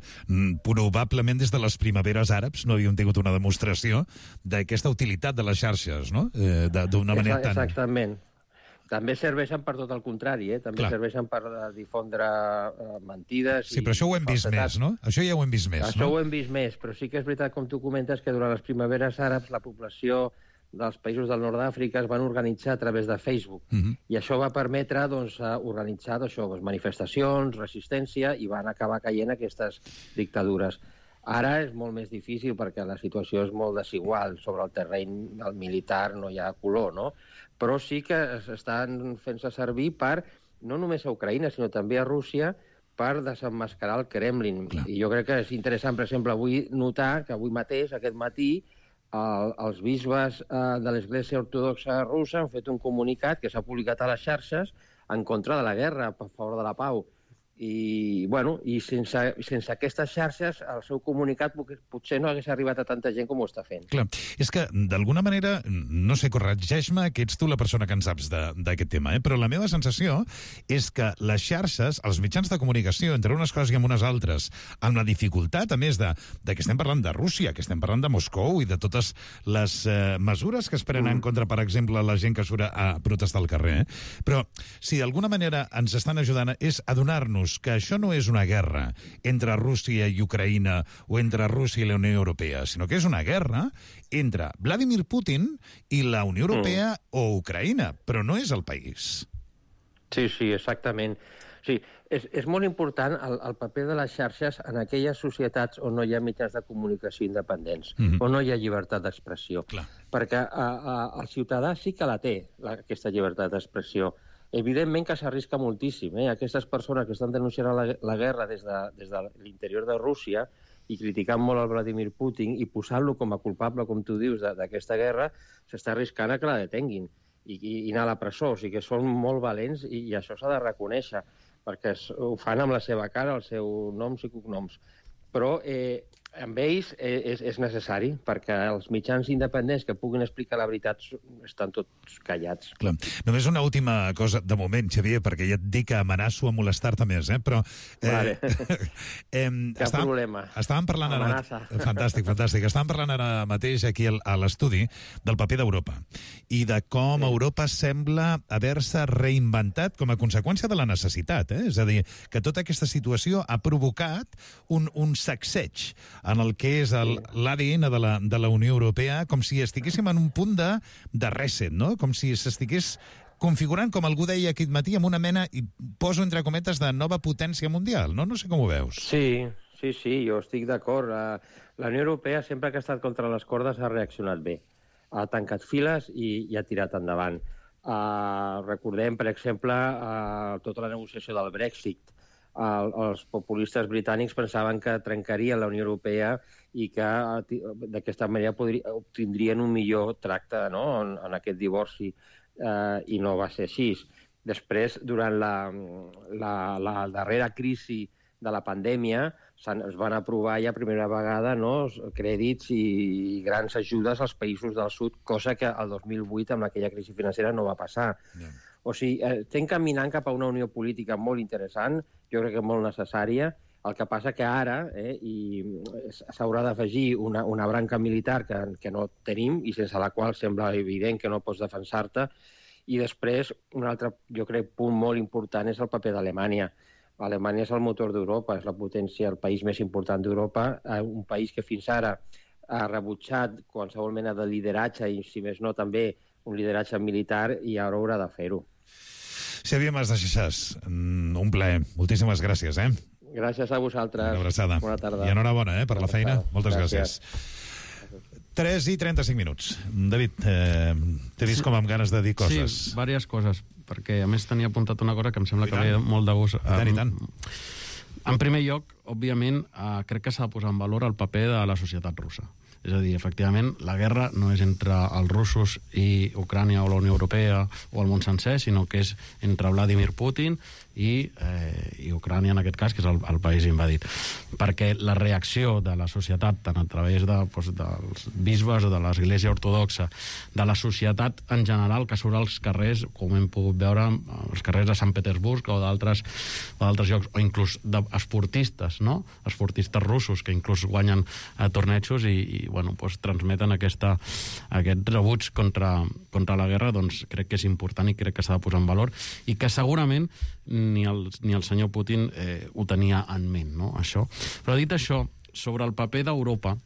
probablement des de les primaveres àrabs no havíem tingut una demostració d'aquesta utilitat de les xarxes, no?, eh, d'una manera tan... Exactament. També serveixen per tot el contrari, eh? També Clar. serveixen per difondre uh, mentides... Sí, però això ho hem vist més, no? Això ja ho hem vist més, això no? Això ho hem vist més, però sí que és veritat, com tu comentes, que durant les primaveres àrabs la població dels països del nord d'Àfrica es van organitzar a través de Facebook. Uh-huh. I això va permetre doncs, organitzar això, doncs, manifestacions, resistència, i van acabar caient aquestes dictadures. Ara és molt més difícil perquè la situació és molt desigual. Sobre el terreny del militar no hi ha color, no? Però sí que estan fent-se servir per, no només a Ucraïna, sinó també a Rússia, per desemmascarar el Kremlin. Clar. I jo crec que és interessant, per exemple, avui notar que avui mateix, aquest matí, El, els bisbes eh, de l'Església Ortodoxa Russa han fet un comunicat que s'ha publicat a les xarxes en contra de la guerra, a favor de la pau. I, bueno, i sense, sense aquestes xarxes el seu comunicat potser no hagués arribat a tanta gent com ho està fent. Clar, és que d'alguna manera, no sé, corregeix-me, que ets tu la persona que en saps d'aquest tema, eh? Però la meva sensació és que les xarxes, els mitjans de comunicació, entre unes coses i amb unes altres, amb la dificultat, a més de, de que estem parlant de Rússia, que estem parlant de Moscou i de totes les eh, mesures que es prenen mm. en contra, per exemple, la gent que surt a protestar al carrer, eh? Però si d'alguna manera ens estan ajudant és adonar-nos que això no és una guerra entre Rússia i Ucraïna o entre Rússia i la Unió Europea, sinó que és una guerra entre Vladimir Putin i la Unió Europea mm. o Ucraïna, però no és el país. Sí, sí, exactament. Sí, és, és molt important el, el paper de les xarxes en aquelles societats on no hi ha mitjans de comunicació independents, mm-hmm. on no hi ha llibertat d'expressió. Perquè a, a, el ciutadà sí que la té, la, aquesta llibertat d'expressió. Evidentment que s'arrisca moltíssim. Eh? Aquestes persones que estan denunciant la, la guerra des de, des de l'interior de Rússia i criticant molt el Vladimir Putin i posant-lo com a culpable, com tu dius, d'aquesta guerra, s'està arriscant a que la detenguin. i, i anar a la presó. O sigui que són molt valents i, i això s'ha de reconèixer, perquè ho fan amb la seva cara, els seus noms i cognoms. Però eh, amb ells és, és necessari, perquè els mitjans independents que puguin explicar la veritat estan tots callats. Clar. Només una última cosa, de moment, Xavier, perquè ja et dic que amenaço a molestar-te més, eh? Però... Eh, vale. eh, Cap estàvem, problema. Estàvem parlant ara... Amenaça. Fantàstic, fantàstic. Estàvem parlant ara mateix aquí a l'estudi del paper d'Europa i de com sí. Europa sembla haver-se reinventat com a conseqüència de la necessitat, eh? És a dir, que tota aquesta situació ha provocat un, un sacseig en el que és l'A D N de la, de la Unió Europea, com si estiguéssim en un punt de, de reset, no? Com si s'estigués configurant, com algú deia aquest matí, amb una mena, i poso entre cometes, de nova potència mundial, no? No sé com ho veus. Sí, sí, sí, jo estic d'acord. La Unió Europea, sempre que ha estat contra les cordes, ha reaccionat bé. Ha tancat files i, i ha tirat endavant. Uh, recordem, per exemple, uh, tota la negociació del Brexit. El, els populistes britànics pensaven que trencarien la Unió Europea i que d'aquesta manera podria, obtindrien un millor tracte, no?, en, en aquest divorci, eh, i no va ser així. Després, durant la, la, la darrera crisi de la pandèmia, es van aprovar ja primera vegada, no?, crèdits i grans ajudes als països del sud, cosa que el dos mil vuit, amb aquella crisi financera, no va passar. Yeah. O sigui, eh, estem caminant cap a una unió política molt interessant, jo crec que molt necessària. El que passa que ara eh, s'haurà d'afegir una, una branca militar que, que no tenim i sense la qual sembla evident que no pots defensar-te. I després, un altre, jo crec, punt molt important és el paper d'Alemanya. Alemanya és el motor d'Europa, és la potència, el país més important d'Europa, un país que fins ara ha rebutjat qualsevol mena de lideratge i, si més no, també un lideratge militar, i ara haurà de fer-ho. Xavier Mas de Xaixàs, un plaer. Moltíssimes gràcies, eh? Gràcies a vosaltres. Una abraçada. Bona tarda. I enhorabona, eh, per la feina. Moltes gràcies. gràcies. tres i trenta-cinc minuts. David, eh, t'he vist com amb ganes de dir coses. Sí, diverses coses, perquè a més tenia apuntat una cosa que em sembla que ve molt de gust. I tant, i tant. En primer lloc, òbviament, eh, crec que s'ha de posar en valor el paper de la societat russa. És a dir, efectivament, la guerra no és entre els russos i Ucrània o la Unió Europea o el món sencer, sinó que és entre Vladimir Putin i, eh, i Ucrània, en aquest cas, que és el, el país invadit. Perquè la reacció de la societat, tant a través de, doncs, dels bisbes, de l'Església Ortodoxa, de la societat en general, que surt als carrers, com hem pogut veure, als carrers de Sant Petersburg o d'altres o d'altres llocs, o inclús d'esportistes, no? Esportistes russos que inclús guanyen eh, tornejos i, i bueno, doncs, transmeten aquesta, aquest rebuig contra, contra la guerra, doncs crec que és important i crec que s'ha de posar en valor i que segurament ni el, ni el senyor Putin eh, ho tenia en ment, no?, això. Però dit això, sobre el paper d'Europa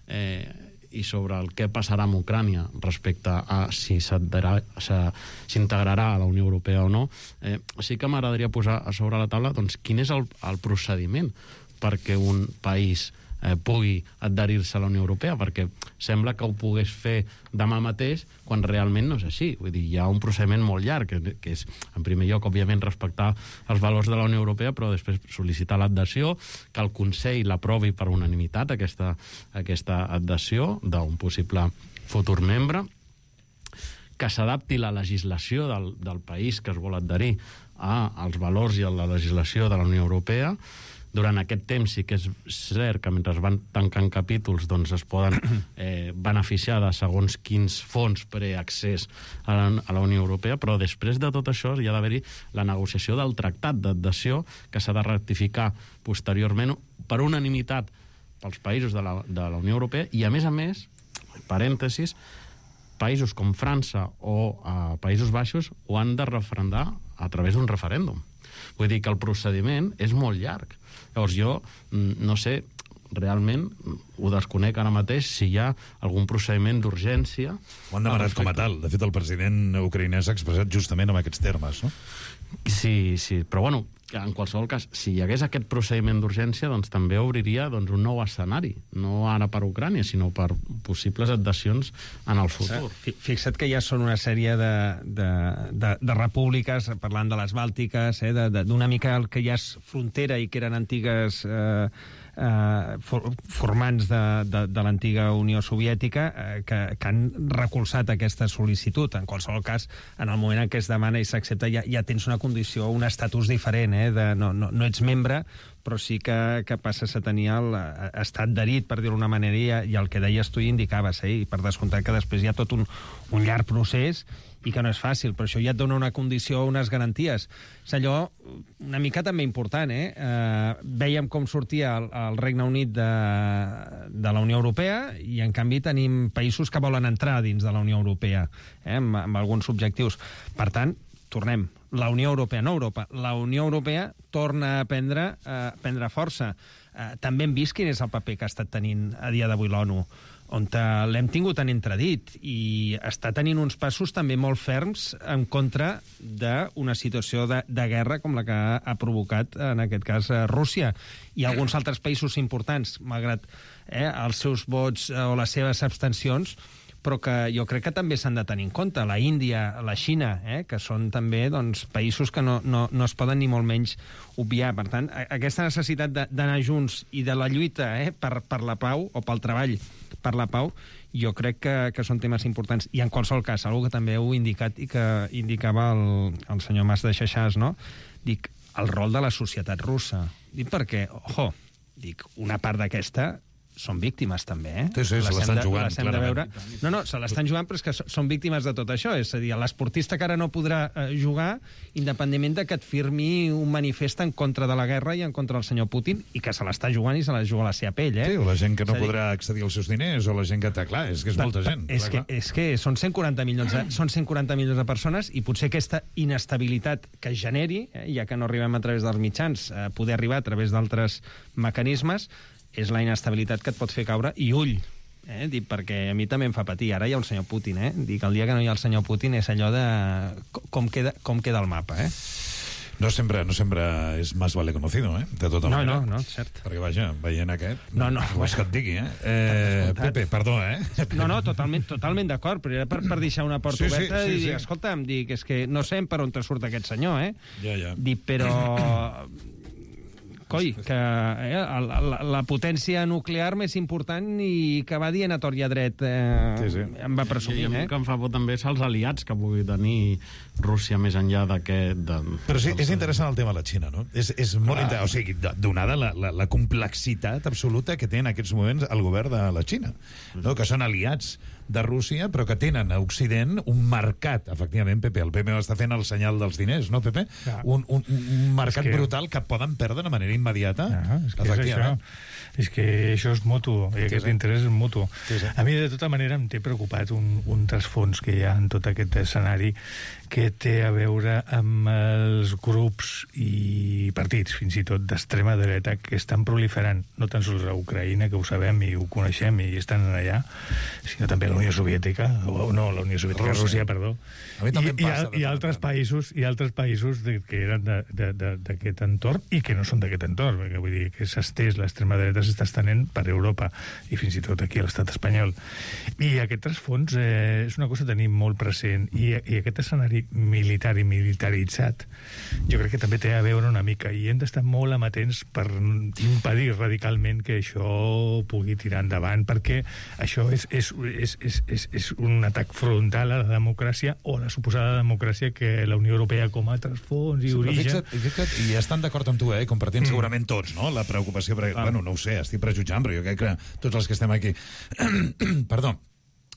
eh, i sobre el que passarà amb Ucrània respecte a si s'integrarà a la Unió Europea o no, eh, sí que m'agradaria posar a sobre la taula doncs, quin és el, el procediment perquè un país eh, pugui adherir-se a la Unió Europea, perquè sembla que ho pogués fer demà mateix, quan realment no és així. Vull dir, hi ha un procediment molt llarg, que, que és, en primer lloc, òbviament, respectar els valors de la Unió Europea, però després sol·licitar l'adhesió, que el Consell l'aprovi per unanimitat, aquesta, aquesta adhesió d'un possible futur membre, que s'adapti la legislació del, del país que es vol adherir als valors i a la legislació de la Unió Europea. Durant aquest temps sí que és cert que mentre es van tancant capítols doncs es poden eh, beneficiar de segons quins fons preaccés a la, a la Unió Europea, però després de tot això hi ha d'haver-hi la negociació del tractat d'adhesió que s'ha de ratificar posteriorment per unanimitat pels països de la, de la Unió Europea i, a més a més, parèntesis, països com França o eh, Països Baixos ho han de referendar a través d'un referèndum. Vull dir que el procediment és molt llarg. Llavors jo, no sé, realment ho desconec ara mateix si hi ha algun procediment d'urgència. Ho han demanat com a tal. De fet, el president ucraïnès s'ha expressat justament en aquests termes, no? Sí, sí, però bueno, en qualsevol cas, si hi hagués aquest procediment d'urgència, doncs també obriria doncs, un nou escenari, no ara per Ucrània, sinó per possibles adhesions en el futur. Fixa't que ja són una sèrie de, de, de, de repúbliques, parlant de les Bàltiques, eh, d'una mica el que ja és frontera i que eren antigues eh, eh, for, formants de, de, de l'antiga Unió Soviètica eh, que, que han recolzat aquesta sol·licitud. En qualsevol cas, en el moment en què es demana i s'accepta, ja, ja tens una condició, un estatus diferent, eh, de, no, no, no ets membre, però sí que, que passes a tenir l'estat adherit, per dir-ho d'una manera, i, i el que deies tu hi indicaves, eh, i per descomptat que després hi ha tot un, un llarg procés i que no és fàcil, però això ja et dona una condició, unes garanties. És allò una mica també important, eh? eh vèiem com sortia el, el Regne Unit de, de la Unió Europea i, en canvi, tenim països que volen entrar dins de la Unió Europea, eh? amb, amb alguns objectius. Per tant, tornem, la Unió Europea, no Europa, la Unió Europea torna a prendre, a prendre força. Eh, també hem vist quin és el paper que ha estat tenint a dia d'avui l'ONU, on l'hem tingut tan entredit i està tenint uns passos també molt ferms en contra d'una situació de, de guerra com la que ha, ha provocat, en aquest cas, Rússia. I alguns altres països importants, malgrat eh, els seus vots o les seves abstencions, però que jo crec que també s'han de tenir en compte. La Índia, la Xina, eh, que són també doncs, països que no, no, no es poden ni molt menys obviar. Per tant, aquesta necessitat d'anar junts i de la lluita eh, per, per la pau, o pel treball per la pau, jo crec que, que són temes importants. I en qualsevol cas, algo que també heu indicat i que indicava el, el senyor Mas de Xaixàs, no? Dic, el rol de la societat russa. Dic perquè, ojo, dic, una part d'aquesta són víctimes, també, eh? Sí, sí, se l'estan jugant, clarament. No, no, se l'estan jugant, però és que són víctimes de tot això. És a dir, l'esportista que ara no podrà eh, jugar, independentment de que et firmi un manifest en contra de la guerra i en contra del senyor Putin, i que se l'està jugant i se la juga a la seva pell, eh? Sí, o la gent que no dir... podrà accedir als seus diners, o la gent que... Clar, és que és molta gent. És, clar, que, és que són cent quaranta milions de, són cent quaranta milions de persones, i potser aquesta inestabilitat que es generi, eh, ja que no arribem a través dels mitjans, eh, poder arribar a través d'altres mecanismes, és la inestabilitat que et pot fer caure, i ull, eh? Dic, perquè a mi també em fa patir. Ara hi ha un senyor Putin, eh? Dic, el dia que no hi ha el senyor Putin és allò de com queda, com queda el mapa, eh? No sempre, no sempre és más vale conocido, eh? De tota no, manera. No, no, cert. Perquè, vaja, veient aquest... No, no. No és que et digui, eh? eh Pepe, perdó, eh? No, no, totalment, totalment d'acord, però era per, per deixar una porta sí, oberta sí, sí, i dir, sí. escolta'm, dic, és que no sé per on te surt aquest senyor, eh? Ja, ja. Dic, però... Coi, que eh, la, la, la potència nuclear més important i que va dient a tort i a dret eh, sí, sí. em va presumir, I, i eh? que em fa por també és els aliats que pugui tenir Rússia més enllà d'aquest... De... Però sí, és interessant el tema de la Xina, no? És, és molt interessant, o sigui, donada la, la, la complexitat absoluta que té en aquests moments el govern de la Xina, no? Que són aliats de Rússia, però que tenen a Occident un mercat, efectivament, Pepe, el Pepe està fent el senyal dels diners, no, Pepe? Ja. Un, un, un mercat que... brutal que poden perdre de manera immediata. Ja, és que és això. És que això és mutu, i aquest sí, sí. interès és mutu. Sí, sí. A mi, de tota manera, em té preocupat un, un trasfons que hi ha en tot aquest escenari que té a veure amb els grups i partits, fins i tot d'extrema dreta, que estan proliferant, no tan sols a Ucraïna, que ho sabem i ho coneixem i estan allà, sinó també a la Unió Soviètica, o no, la Unió Soviètica, Rússia, Rússia perdó. A mi també I, em passa. I, i altres països, i altres països de, que eren d'aquest entorn i que no són d'aquest entorn, perquè vull dir que s'ha estès, l'extrema dreta s'està estenent per Europa i fins i tot aquí a l'estat espanyol. I aquest trasfons eh, és una cosa a tenir molt present, i, i aquest escenari militar i militaritzat jo crec que també té a veure una mica, i hem d'estar molt amatents per impedir radicalment que això pugui tirar endavant, perquè això és, és, és, és, és, és un atac frontal a la democràcia, o a la suposada democràcia que la Unió Europea com a trasfons i sí, origen... Fixa't, fixa't, i estan d'acord amb tu, eh? Compartint mm. segurament tots, no?, la preocupació, perquè, ah. bueno, no ho sé, estic prejutjant, però jo crec que tots els que estem aquí... Perdó.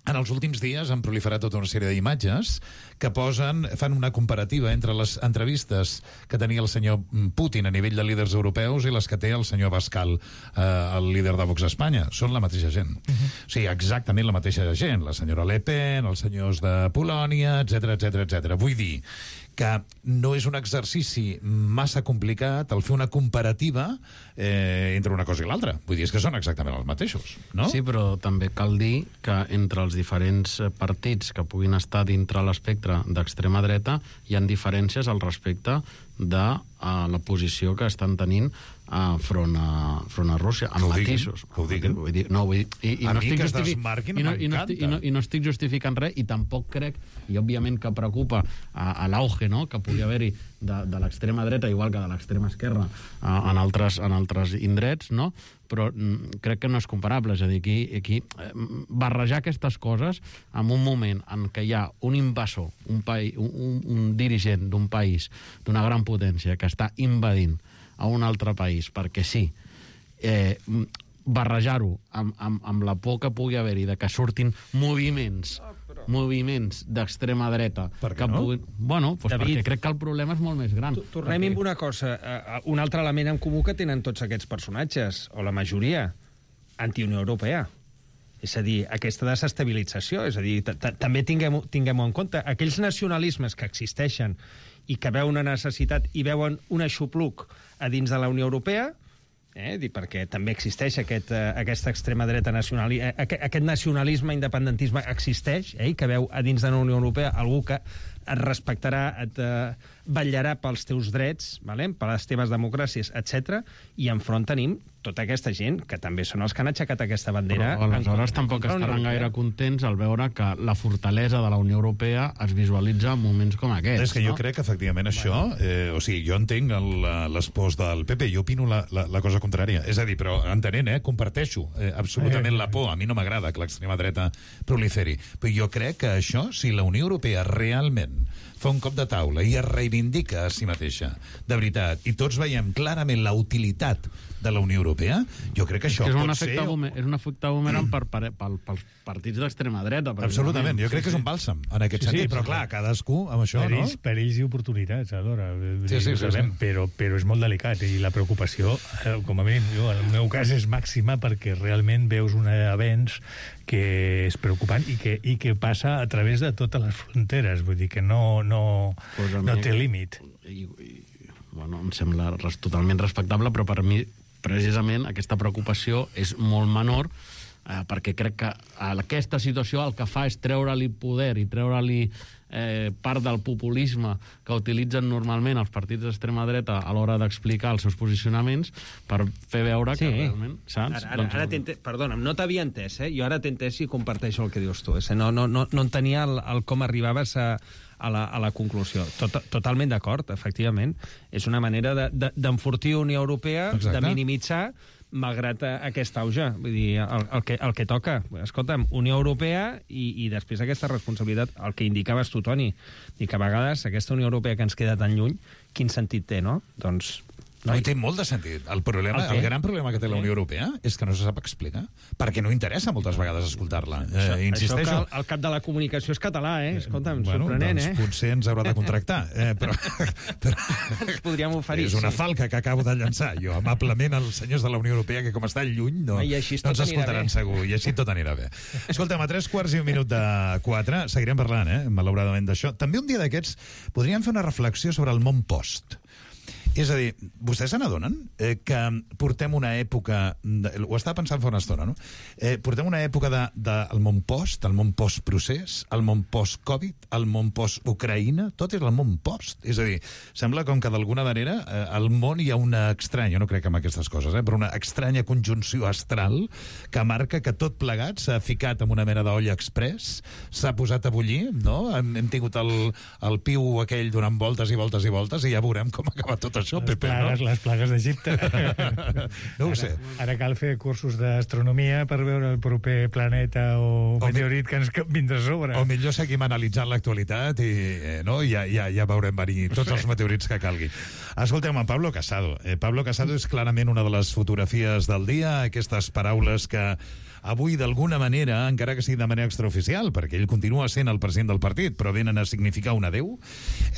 En els últims dies han proliferat tota una sèrie d'imatges que posen, fan una comparativa entre les entrevistes que tenia el senyor Putin a nivell de líders europeus i les que té el senyor Abascal, eh, el líder de Vox a Espanya. Són la mateixa gent. Uh-huh. O sigui, exactament la mateixa gent. La senyora Le Pen, els senyors de Polònia, etcètera, etcètera, etcètera. Vull dir que no és un exercici massa complicat el fer una comparativa eh, entre una cosa i l'altra. Vull dir, és que són exactament els mateixos, no? Sí, però també cal dir que entre els diferents partits que puguin estar dintre l'espectre d'extrema dreta hi ha diferències al respecte de uh, la posició que estan tenint uh, front, a, front a Rússia, amb matisos. Que ho diguin. Vull dir, no, vull dir, i, i a no mi estic que es justific... desmarquin i no, i no, m'encanta. estic, i, no, I no estic justificant res, i tampoc crec, i òbviament que preocupa a, a l'auge, no?, que pugui haver-hi de, de l'extrema dreta, igual que de l'extrema esquerra, a, en, altres, en altres indrets, no?, però mm, crec que no és comparable. És a dir, aquí, aquí eh, barrejar aquestes coses en un moment en què hi ha un invasor, un, país, un, un, un dirigent d'un país, d'una gran potència, que està invadint a un altre país, perquè sí, eh, barrejar-ho amb, amb, amb la por que pugui haver-hi de que surtin moviments moviments d'extrema dreta que no? puguin... Bueno, doncs David, perquè crec que el problema és molt més gran. Tornem amb una cosa. Uh, un altre element en comú que tenen tots aquests personatges, o la majoria, anti-Unió Europea. És a dir, aquesta desestabilització. És a dir, també tinguem, tinguem en compte aquells nacionalismes que existeixen i que veuen una necessitat i veuen un aixopluc a dins de la Unió Europea, eh, perquè també existeix aquest, eh, aquesta extrema dreta nacional, eh, aquest, aquest nacionalisme, independentisme existeix, eh, que veu a dins de la Unió Europea algú que et respectarà, et eh, vetllarà pels teus drets, vale? Per les teves democràcies, etcètera. I enfront tenim tota aquesta gent que també són els que han aixecat aquesta bandera. Però aleshores tampoc estaran gaire contents al veure que la fortalesa de la Unió Europea es visualitza en moments com aquests. És que jo no? crec que efectivament això, eh, o sigui, jo entenc el, les pors del P P, jo opino la, la, la cosa contrària. És a dir, però entenent, eh, comparteixo eh, absolutament la por. A mi no m'agrada que l'extrema dreta proliferi. Però jo crec que això, si la Unió Europea realment fa un cop de taula i es reivindica a si mateixa, de veritat, i tots veiem clarament la utilitat de la Unió Europea, jo crec que això és que és pot un ser... efecte bume, és un efecte boomerang per, per, per, pels partits d'extrema dreta. Absolutament, jo crec que és un bàlsam en aquest Sí, sí, sentit, però clar, cadascú amb això, no? Perills, perills i oportunitats, alhora. Sí, sí, sí, sí. Però, però és molt delicat i la preocupació, eh, com a mínim, jo, en el meu cas és màxima perquè realment veus un avenç que és preocupant i que, i que passa a través de totes les fronteres, vull dir que no, no, pues no té límit. I, i, bueno, em sembla res, totalment respectable, però per mi precisament aquesta preocupació és molt menor eh, perquè crec que aquesta situació el que fa és treure-li poder i treure-li eh, part del populisme que utilitzen normalment els partits d'extrema dreta a l'hora d'explicar els seus posicionaments per fer veure Sí. que realment, saps? Ara, ara, Doncs- ara t'he entès, perdona'm, no t'havia entès, eh? Jo ara t'he entès i comparteixo el que dius tu. Eh? No, no, no, no entenia el, el com arribaves a, a, la, a la conclusió. Tot, totalment d'acord, efectivament. És una manera de- de- d'enfortir Unió Europea, Exacte. de minimitzar, malgrat eh, aquest auge. Vull dir, el, el, que, el que toca. Escolta'm, Unió Europea i, i després aquesta responsabilitat, el que indicaves tu, Toni, i que a vegades aquesta Unió Europea que ens queda tan lluny, quin sentit té, no? Doncs... No, i té molt de sentit. El, problema, El què? el gran problema que té la Unió Europea és que no se sap explicar, perquè no interessa moltes vegades escoltar-la. Això, Eh, insisteixo. això que el, el cap de la comunicació és català, eh? Escolta'm, Bueno, sorprenent, doncs eh? potser ens haurà de contractar. Eh, però, però Ens podríem oferir. és una sí. falca que acabo de llançar. Jo, amablement, els senyors de la Unió Europea, que com estan lluny, no, I així no tot ens anirà escoltaran bé. segur. I així tot anirà bé. Escolta'm, a tres quarts i un minut de quatre, seguirem parlant, eh, malauradament, d'això. També un dia d'aquests podríem fer una reflexió sobre el món post. És a dir, vostès se n'adonen eh, que portem una època... De, ho estava pensant fa una estona, no? Eh, portem una època de, de, el món post, el món post-procés, el món post-Covid, el món post-Ucraïna, tot és el món post. És a dir, sembla com que d'alguna manera eh, al món hi ha una estranya, no crec en aquestes coses, eh, però una estranya conjunció astral que marca que tot plegat s'ha ficat en una mena d'olla express, s'ha posat a bullir, no? Hem, hem tingut el, el piu aquell donant voltes i voltes i voltes i ja veurem com acaba tot això, Les Pepe, plagues, no? les plagues d'Egipte. No ho ara, sé. Ara cal fer cursos d'astronomia per veure el proper planeta o, o meteorit que ens vindrà a sobre. O millor seguim analitzant l'actualitat i eh, no? ja, ja, ja veurem venir tots els meteorits que calgui. Escolteu, en Pablo Casado. Eh, Pablo Casado és clarament una de les fotografies del dia, aquestes paraules que avui, d'alguna manera, encara que sigui de manera extraoficial, perquè ell continua sent el president del partit, però venen a significar un adeu,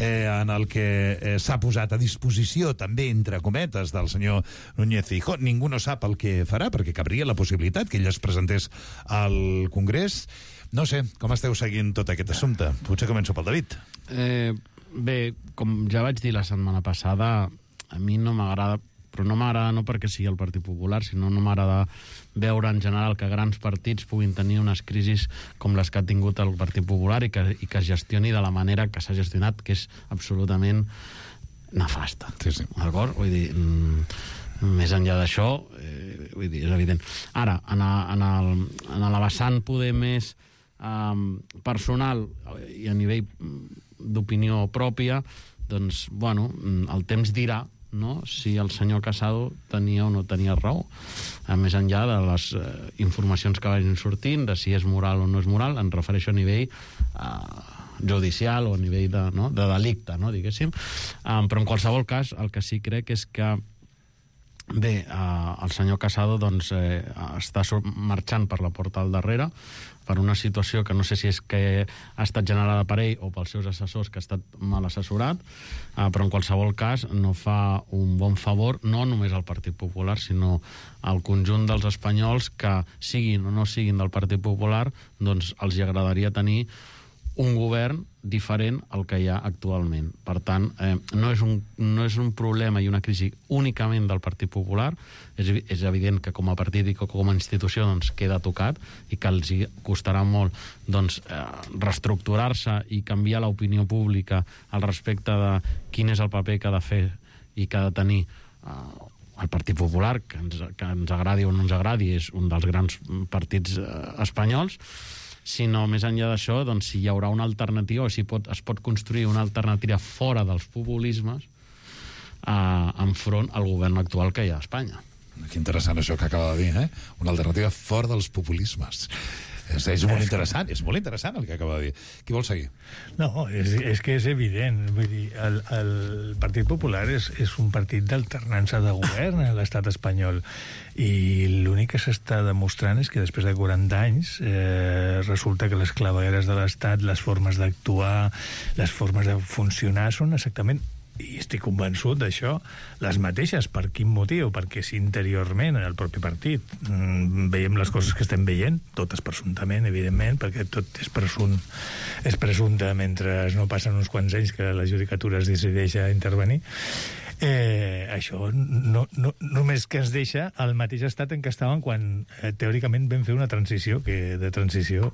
eh, en el que eh, s'ha posat a disposició, també, entre cometes, del senyor Núñez Feijóo. Ningú no sap el que farà, perquè cabria la possibilitat que ell es presentés al Congrés. No sé, com esteu seguint tot aquest assumpte? Potser començo pel David. Eh, bé, com ja vaig dir la setmana passada, a mi no m'agrada, però no m'agrada no perquè sigui el Partit Popular, sinó no m'agrada veure en general que grans partits puguin tenir unes crisis com les que ha tingut el Partit Popular i que, i que es gestioni de la manera que s'ha gestionat, que és absolutament nefasta. Sí, sí. D'acord? Vull dir, mm, Més enllà d'això, eh, vull dir, és evident. Ara, en, a, en, el, en la vessant poder més eh, personal i a nivell d'opinió pròpia, doncs, bueno, el temps dirà, no?, si el senyor Casado tenia o no tenia raó. A més enllà de les eh, informacions que vagin sortint, de si és moral o no és moral, em refereixo a nivell eh, judicial o a nivell de, no?, de delicte, no?, diguéssim. Um, però en qualsevol cas, el que sí crec és que bé, eh, el senyor Casado doncs, eh, està marxant per la porta al darrere per una situació que no sé si és que ha estat generada per ell o pels seus assessors, que ha estat mal assessorat, eh, però en qualsevol cas no fa un bon favor no només al Partit Popular, sinó al conjunt dels espanyols que, siguin o no siguin del Partit Popular, doncs els hi agradaria tenir un govern diferent al que hi ha actualment. Per tant, eh, no, és un, no és un problema i una crisi únicament del Partit Popular. És, és evident que com a partit i com a institució doncs, queda tocat i que els hi costarà molt doncs, eh, reestructurar-se i canviar l'opinió pública al respecte de quin és el paper que ha de fer i que ha de tenir eh, el Partit Popular, que ens, que ens agradi o no ens agradi, és un dels grans partits eh, espanyols, sinó més enllà d'això, doncs, si hi haurà una alternativa o si pot, es pot construir una alternativa fora dels populismes eh, enfront al govern actual que hi ha a Espanya. Que interessant això que acaba de dir, eh? Una alternativa fora dels populismes. És, és molt interessant, és molt interessant el que acaba de dir. Qui vol seguir? No, és, és que és evident. Vull dir, el, el Partit Popular és, és un partit d'alternança de govern a l'estat espanyol i l'únic que s'està demostrant és que després de quaranta anys eh, resulta que les clavegueres de l'estat, les formes d'actuar, les formes de funcionar són exactament, i estic convençut d'això, les mateixes. Per quin motiu? Perquè si interiorment en el propi partit mmm, veiem les coses que estem veient, totes presumptament, evidentment, perquè tot és presumpte, és presumpte mentre no passen uns quants anys que la judicatura es decideix a intervenir. Eh, això no, no, només que ens deixa el mateix estat en què estàvem quan eh, teòricament vam fer una transició que de transició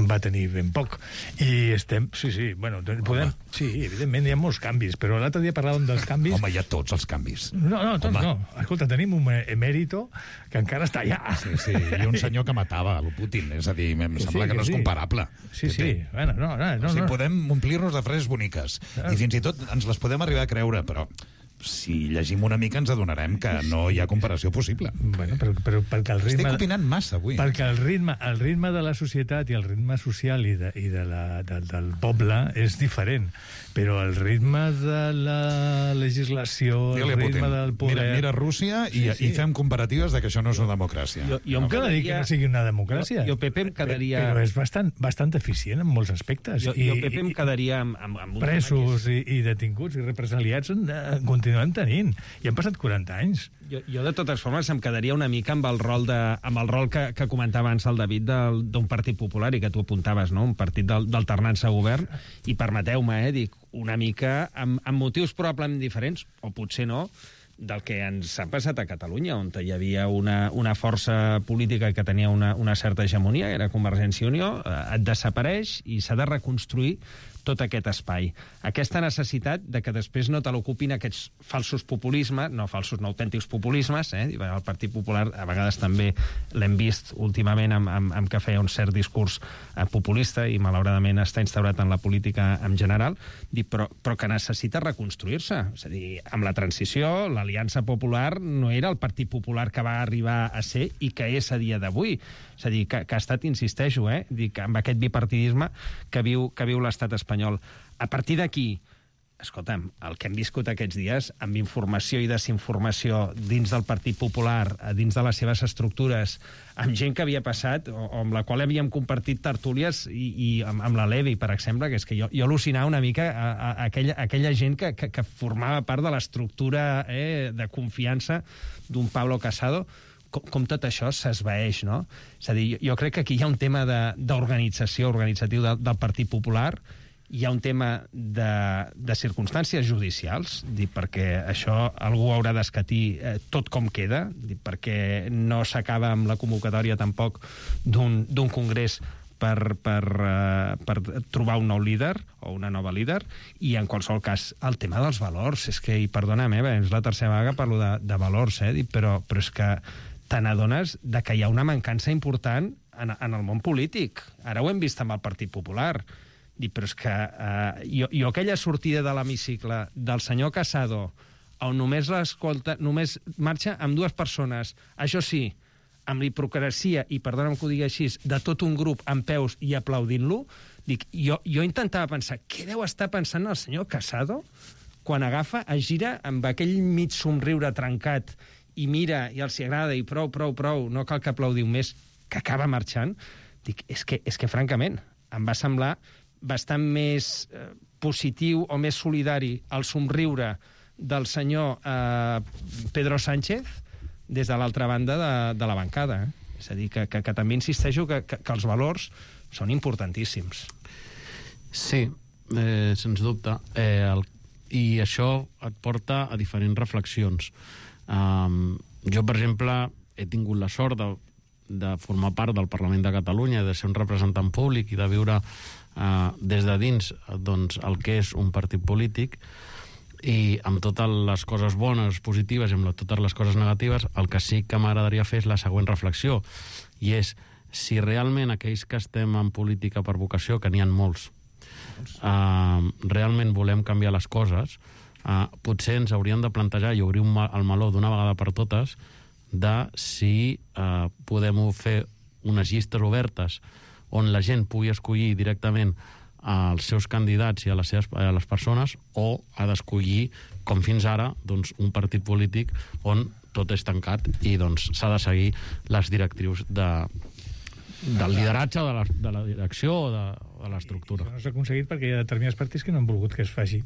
va tenir ben poc i estem, sí, sí, bueno podem, sí, evidentment hi ha molts canvis, però l'altre dia parlàvem dels canvis. Home, hi ha tots els canvis. No, no, tots Home. no, escolta, tenim un emèrito que encara està allà. Sí, sí, i un senyor que matava el Putin, és a dir, em sembla sí, que, que no és sí. comparable. Sí, sí, bueno, no, no, no, o sigui, no. podem omplir-nos de frases boniques i fins i tot ens les podem arribar a creure, però si llegim una mica ens adonarem que no hi ha comparació possible. Bueno, però, però perquè el ritme... Estic opinant massa avui. Perquè el ritme, el ritme de la societat i el ritme social i, de, i de la, de, del poble és diferent, però el ritme de la legislació, el ritme del poder... Mira, mira Rússia i, sí, sí. i fem comparatives de que això no és una democràcia. Jo, jo no em quedaria... dir que no sigui una democràcia. Jo, jo Pepe, em quedaria... Però és bastant, bastant eficient en molts aspectes. Jo, jo Pepe, em quedaria amb... amb, amb presos i, i detinguts i represaliats en, en, continuem tenint. I han passat quaranta anys. Jo, jo de totes formes, em quedaria una mica amb el rol, de, amb el rol que, que comentava abans el David d'un partit popular i que tu apuntaves, no? Un partit d'alternança a govern. I permeteu-me, eh, dic, una mica amb, amb motius probablement diferents, o potser no, del que ens ha passat a Catalunya, on hi havia una, una força política que tenia una, una certa hegemonia, era Convergència i Unió, eh, et desapareix i s'ha de reconstruir tot aquest espai. Aquesta necessitat de que després no te l'ocupin aquests falsos populismes, no falsos, no autèntics populismes, eh? El Partit Popular a vegades també l'hem vist últimament amb, amb, amb que feia un cert discurs eh, populista i malauradament està instaurat en la política en general, però, però que necessita reconstruir-se. És a dir, amb la transició, l'Aliança Popular no era el Partit Popular que va arribar a ser i que és a dia d'avui. És a dir, que, que ha estat, insisteixo, eh, dic, amb aquest bipartidisme que viu, que viu l'estat espanyol. A partir d'aquí, escolta'm, el que hem viscut aquests dies, amb informació i desinformació dins del Partit Popular, dins de les seves estructures, amb gent que havia passat, o, o amb la qual havíem compartit tertúlies, i, i amb, amb la Levi, per exemple, que és que jo, jo al·lucinava una mica a, a, a aquella, a aquella gent que, que, que formava part de l'estructura eh, de confiança d'un Pablo Casado, com, com tot això s'esvaeix, no? És a dir, jo, jo crec que aquí hi ha un tema d'organització, organitzatiu del, del Partit Popular, hi ha un tema de, de circumstàncies judicials, dic, perquè això algú haurà d'escatir eh, tot com queda, dic, perquè no s'acaba amb la convocatòria tampoc d'un congrés per, per, uh, per trobar un nou líder o una nova líder, i en qualsevol cas el tema dels valors, és que, i perdona'm, eh, és la tercera vegada que parlo de, de valors, eh, però, però és que te n'adones de que hi ha una mancança important en, en el món polític. Ara ho hem vist amb el Partit Popular. Dic, però és que eh, jo, jo aquella sortida de l'hemicicle del senyor Casado, on només l'escolta, només marxa amb dues persones, això sí, amb l'hipocresia, i perdona'm que ho digui així, de tot un grup en peus i aplaudint-lo, dic, jo, jo intentava pensar, què deu estar pensant el senyor Casado quan agafa, es gira amb aquell mig somriure trencat i mira, i els hi agrada, i prou, prou, prou, no cal que aplaudiu més, que acaba marxant. Dic, és que, és que francament, em va semblar bastant més eh, positiu o més solidari el somriure del senyor eh, Pedro Sánchez des de l'altra banda de, de la bancada. Eh? És a dir, que, que, que també insisteixo que, que, que els valors són importantíssims. Sí, eh, sens dubte. Eh, el, I això et porta a diferents reflexions. Um, jo, per exemple, he tingut la sort de, de formar part del Parlament de Catalunya, de ser un representant públic i de viure uh, des de dins doncs, el que és un partit polític, i amb totes les coses bones, positives, i amb totes les coses negatives, el que sí que m'agradaria fer és la següent reflexió, i és si realment aquells que estem en política per vocació, que n'hi ha molts, uh, realment volem canviar les coses, uh, potser ens hauríem de plantejar i obrir un mal, el meló d'una vegada per totes de si uh, podem fer unes llistes obertes on la gent pugui escollir directament als seus candidats i a les, seves, a les persones, o ha d'escollir, com fins ara, doncs, un partit polític on tot és tancat i doncs, s'ha de seguir les directrius de, del lideratge, de la, de la direcció o de, de l'estructura. Això no s'ha aconseguit perquè hi ha determinats partits que no han volgut que es faci.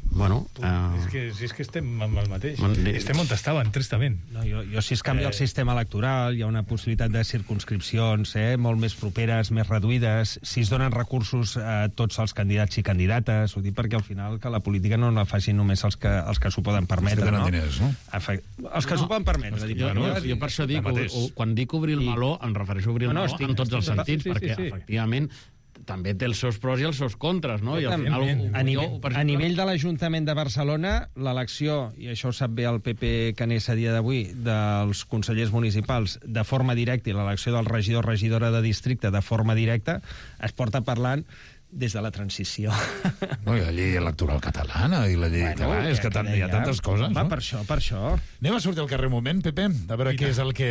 Bueno, uh... és, que, si és que estem amb el mateix. Estem on estàvem, tristament. No, jo, jo, si es canvia eh... el sistema electoral, hi ha una possibilitat de circumscripcions eh, molt més properes, més reduïdes, si es donen recursos a tots els candidats i candidates, ho dic perquè al final que la política no la facin només els que, els que s'ho poden permetre, no? Diners, no? Efe... Els que no. s'ho poden permetre. Dic, jo, no, jo per això dic, o, o, quan dic obrir el meló, em refereixo a obrir el no, no, meló estic, en tots els estic, sentits, sí, sí, perquè sí, sí. efectivament també té els seus pros i els seus contres, no? I al final, a, nivell, jo, a nivell de l'Ajuntament de Barcelona, l'elecció, i això ho sap bé el P P Canés a dia d'avui, dels consellers municipals de forma directa, i l'elecció del regidor o regidora de districte de forma directa, es porta parlant des de la transició. No, hi ha la llei electoral catalana i la llei... Bueno, catalana, és que, que hi ha tantes coses, va, no? Per això, per això. Anem a sortir al carrer un moment, Pepe, a veure què és el que,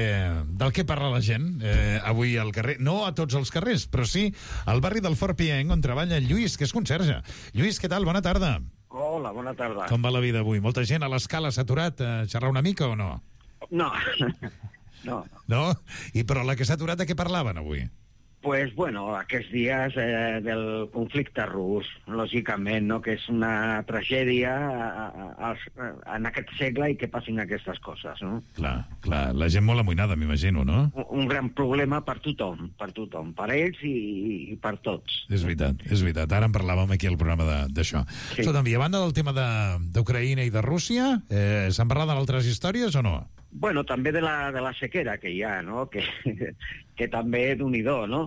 del que parla la gent eh, avui al carrer. No a tots els carrers, però sí al barri del Fort Pienc, on treballa Lluís, que és conserge. Lluís, què tal? Bona tarda. Hola, bona tarda. Com va la vida avui? Molta gent a l'escala s'ha aturat a xerrar una mica o no? No, no. No? I però la que s'ha aturat, de què parlaven avui? Pues, bueno, aquests dies eh, del conflicte rus, lògicament, no? Que és una tragèdia a, a, a, en aquest segle i que passin aquestes coses, no? Clar, clar, la gent molt amoïnada, m'imagino, no? Un, un gran problema per tothom, per tothom, per ells i, i per tots. És veritat, és veritat. Ara en parlàvem aquí al programa d'això. Sí. Escolta'm, i a banda del tema d'Ucraïna i de Rússia, eh, s'han parlat d'altres històries o no? Bueno, també de la, de la sequera que hi ha, no? Que, que també d'un-i-do, no?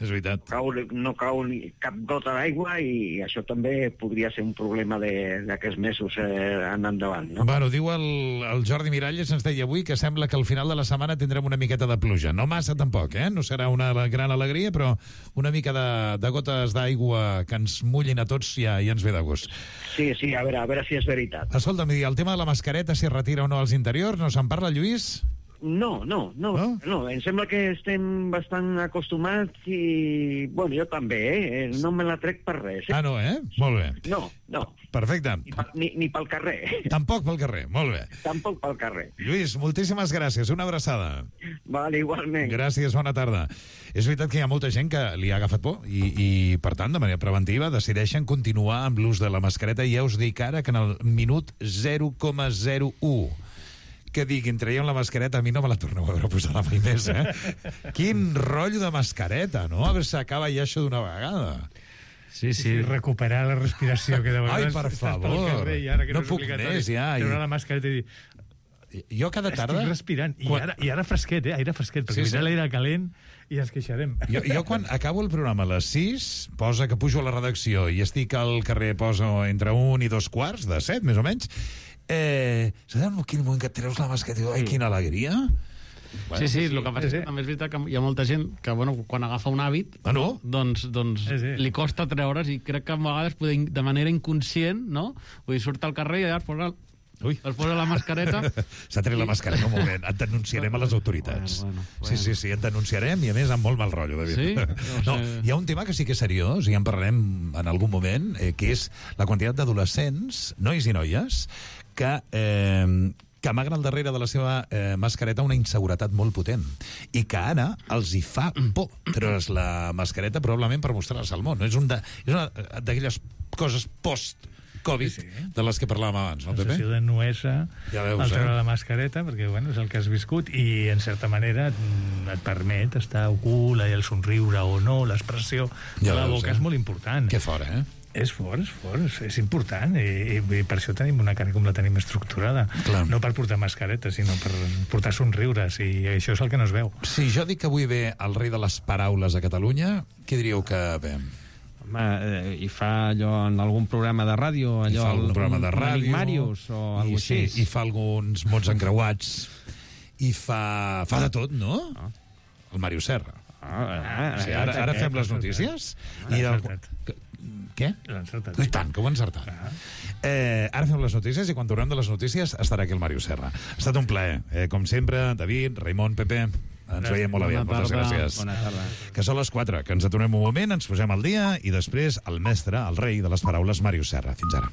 És veritat. Cau, no cau ni cap gota d'aigua i això també podria ser un problema d'aquests mesos eh, en endavant, no? Bueno, diu el, el Jordi Miralles, ens deia avui, que sembla que al final de la setmana tindrem una miqueta de pluja. No massa tampoc, eh? No serà una gran alegria, però una mica de, de gotes d'aigua que ens mullin a tots ja, ja ens ve de gust. Sí, sí, a veure, a veure si és veritat. Escolta'm, el tema de la mascareta, si es retira o no als interiors, no se'n parla, Lluís? No, no, no, no, no, em sembla que estem bastant acostumats i, bueno, jo també, eh? No me la trec per res. Eh? Ah, no, eh? Molt bé. No, no. Perfecte. Ni, ni, ni pel carrer. Tampoc pel carrer, molt bé. Tampoc pel carrer. Lluís, moltíssimes gràcies, una abraçada. Vale, igualment. Gràcies, bona tarda. És veritat que hi ha molta gent que li ha agafat por i, i per tant, de manera preventiva, decideixen continuar amb l'ús de la mascareta i ja us dic ara que en el minut zero coma zero u que diguin, traiem la mascareta, a mi no me la torneu a veure posada mai més, eh? Quin rotllo de mascareta, no? A veure si acaba ja això d'una vegada. Sí, sí. I recuperar la respiració, que de vegades Ai, per estàs favor. pel carrer i ara que no no és puc obligatori més, ja. treure la mascareta i dir... jo cada tarda... Estic respirant. I, quan... ara, I ara fresquet, eh? Aire fresquet, perquè sí, sí. l'aire calent i ens queixarem. Jo, jo quan acabo el programa a les sis, posa que pujo a la redacció i estic al carrer, poso entre un i dos quarts, de set, més o menys, eh, saps en quin moment que et treus la mascareta i dius, ai, quina alegria... Bueno, sí, sí, el que passa és que també és veritat que hi ha molta gent que, bueno, quan agafa un hàbit, ah, no? doncs, doncs sí, sí. li costa treure's, i crec que a vegades poder, de manera inconscient, no? Vull dir, surt al carrer i allà es posa, Ui. es posa la mascareta. S'ha tret la mascareta, un moment. Et denunciarem a les autoritats. Bueno, bueno, bueno. Sí, sí, sí, et denunciarem, i a més amb molt mal rotllo, David. Sí? No, hi ha un tema que sí que és seriós, i ja en parlarem en algun moment, eh, que és la quantitat d'adolescents, nois i noies, que... Eh, que amaguen al darrere de la seva eh, mascareta una inseguretat molt potent i que ara els hi fa por treure's la mascareta probablement per mostrar-se al món. És, un de, és una d'aquelles coses post-Covid sí, sí. de les que parlàvem abans, no, Pepe? La sessió de nuesa, ja veus, el treure eh? la mascareta, perquè bueno, és el que has viscut i en certa manera et permet estar ocult, el somriure o no, l'expressió de la boca eh? és molt important. Que fora, eh? És fort, és fort, és important i, i, i per això tenim una cara com la tenim estructurada. Clar. No per portar mascareta, sinó per portar somriures, i això és el que no es veu. Si jo dic que avui ve el rei de les paraules a Catalunya, què diríeu que ve? Home, eh, i fa allò en algun programa de ràdio, allò, I fa algun programa de ràdio, un Màrius o alguna cosa així. I fa alguns mots encreuats, i fa, fa de tot, no? Ah. El Màrius Serra. Ah, ah, sí, ara, ara fem les notícies. Ah, i el... Què? I tant, que ho he encertat. Ah. Eh, ara fem les notícies i quan tornem de les notícies estarà aquí el Màrius Serra. Ha estat un plaer. Eh, com sempre, David, Raimon, Pepe, ens veiem molt aviat. Moltes gràcies. Bona tarda. Que són les quatre, que ens aturem un moment, ens posem al dia i després el mestre, el rei de les paraules, Màrius Serra. Fins ara.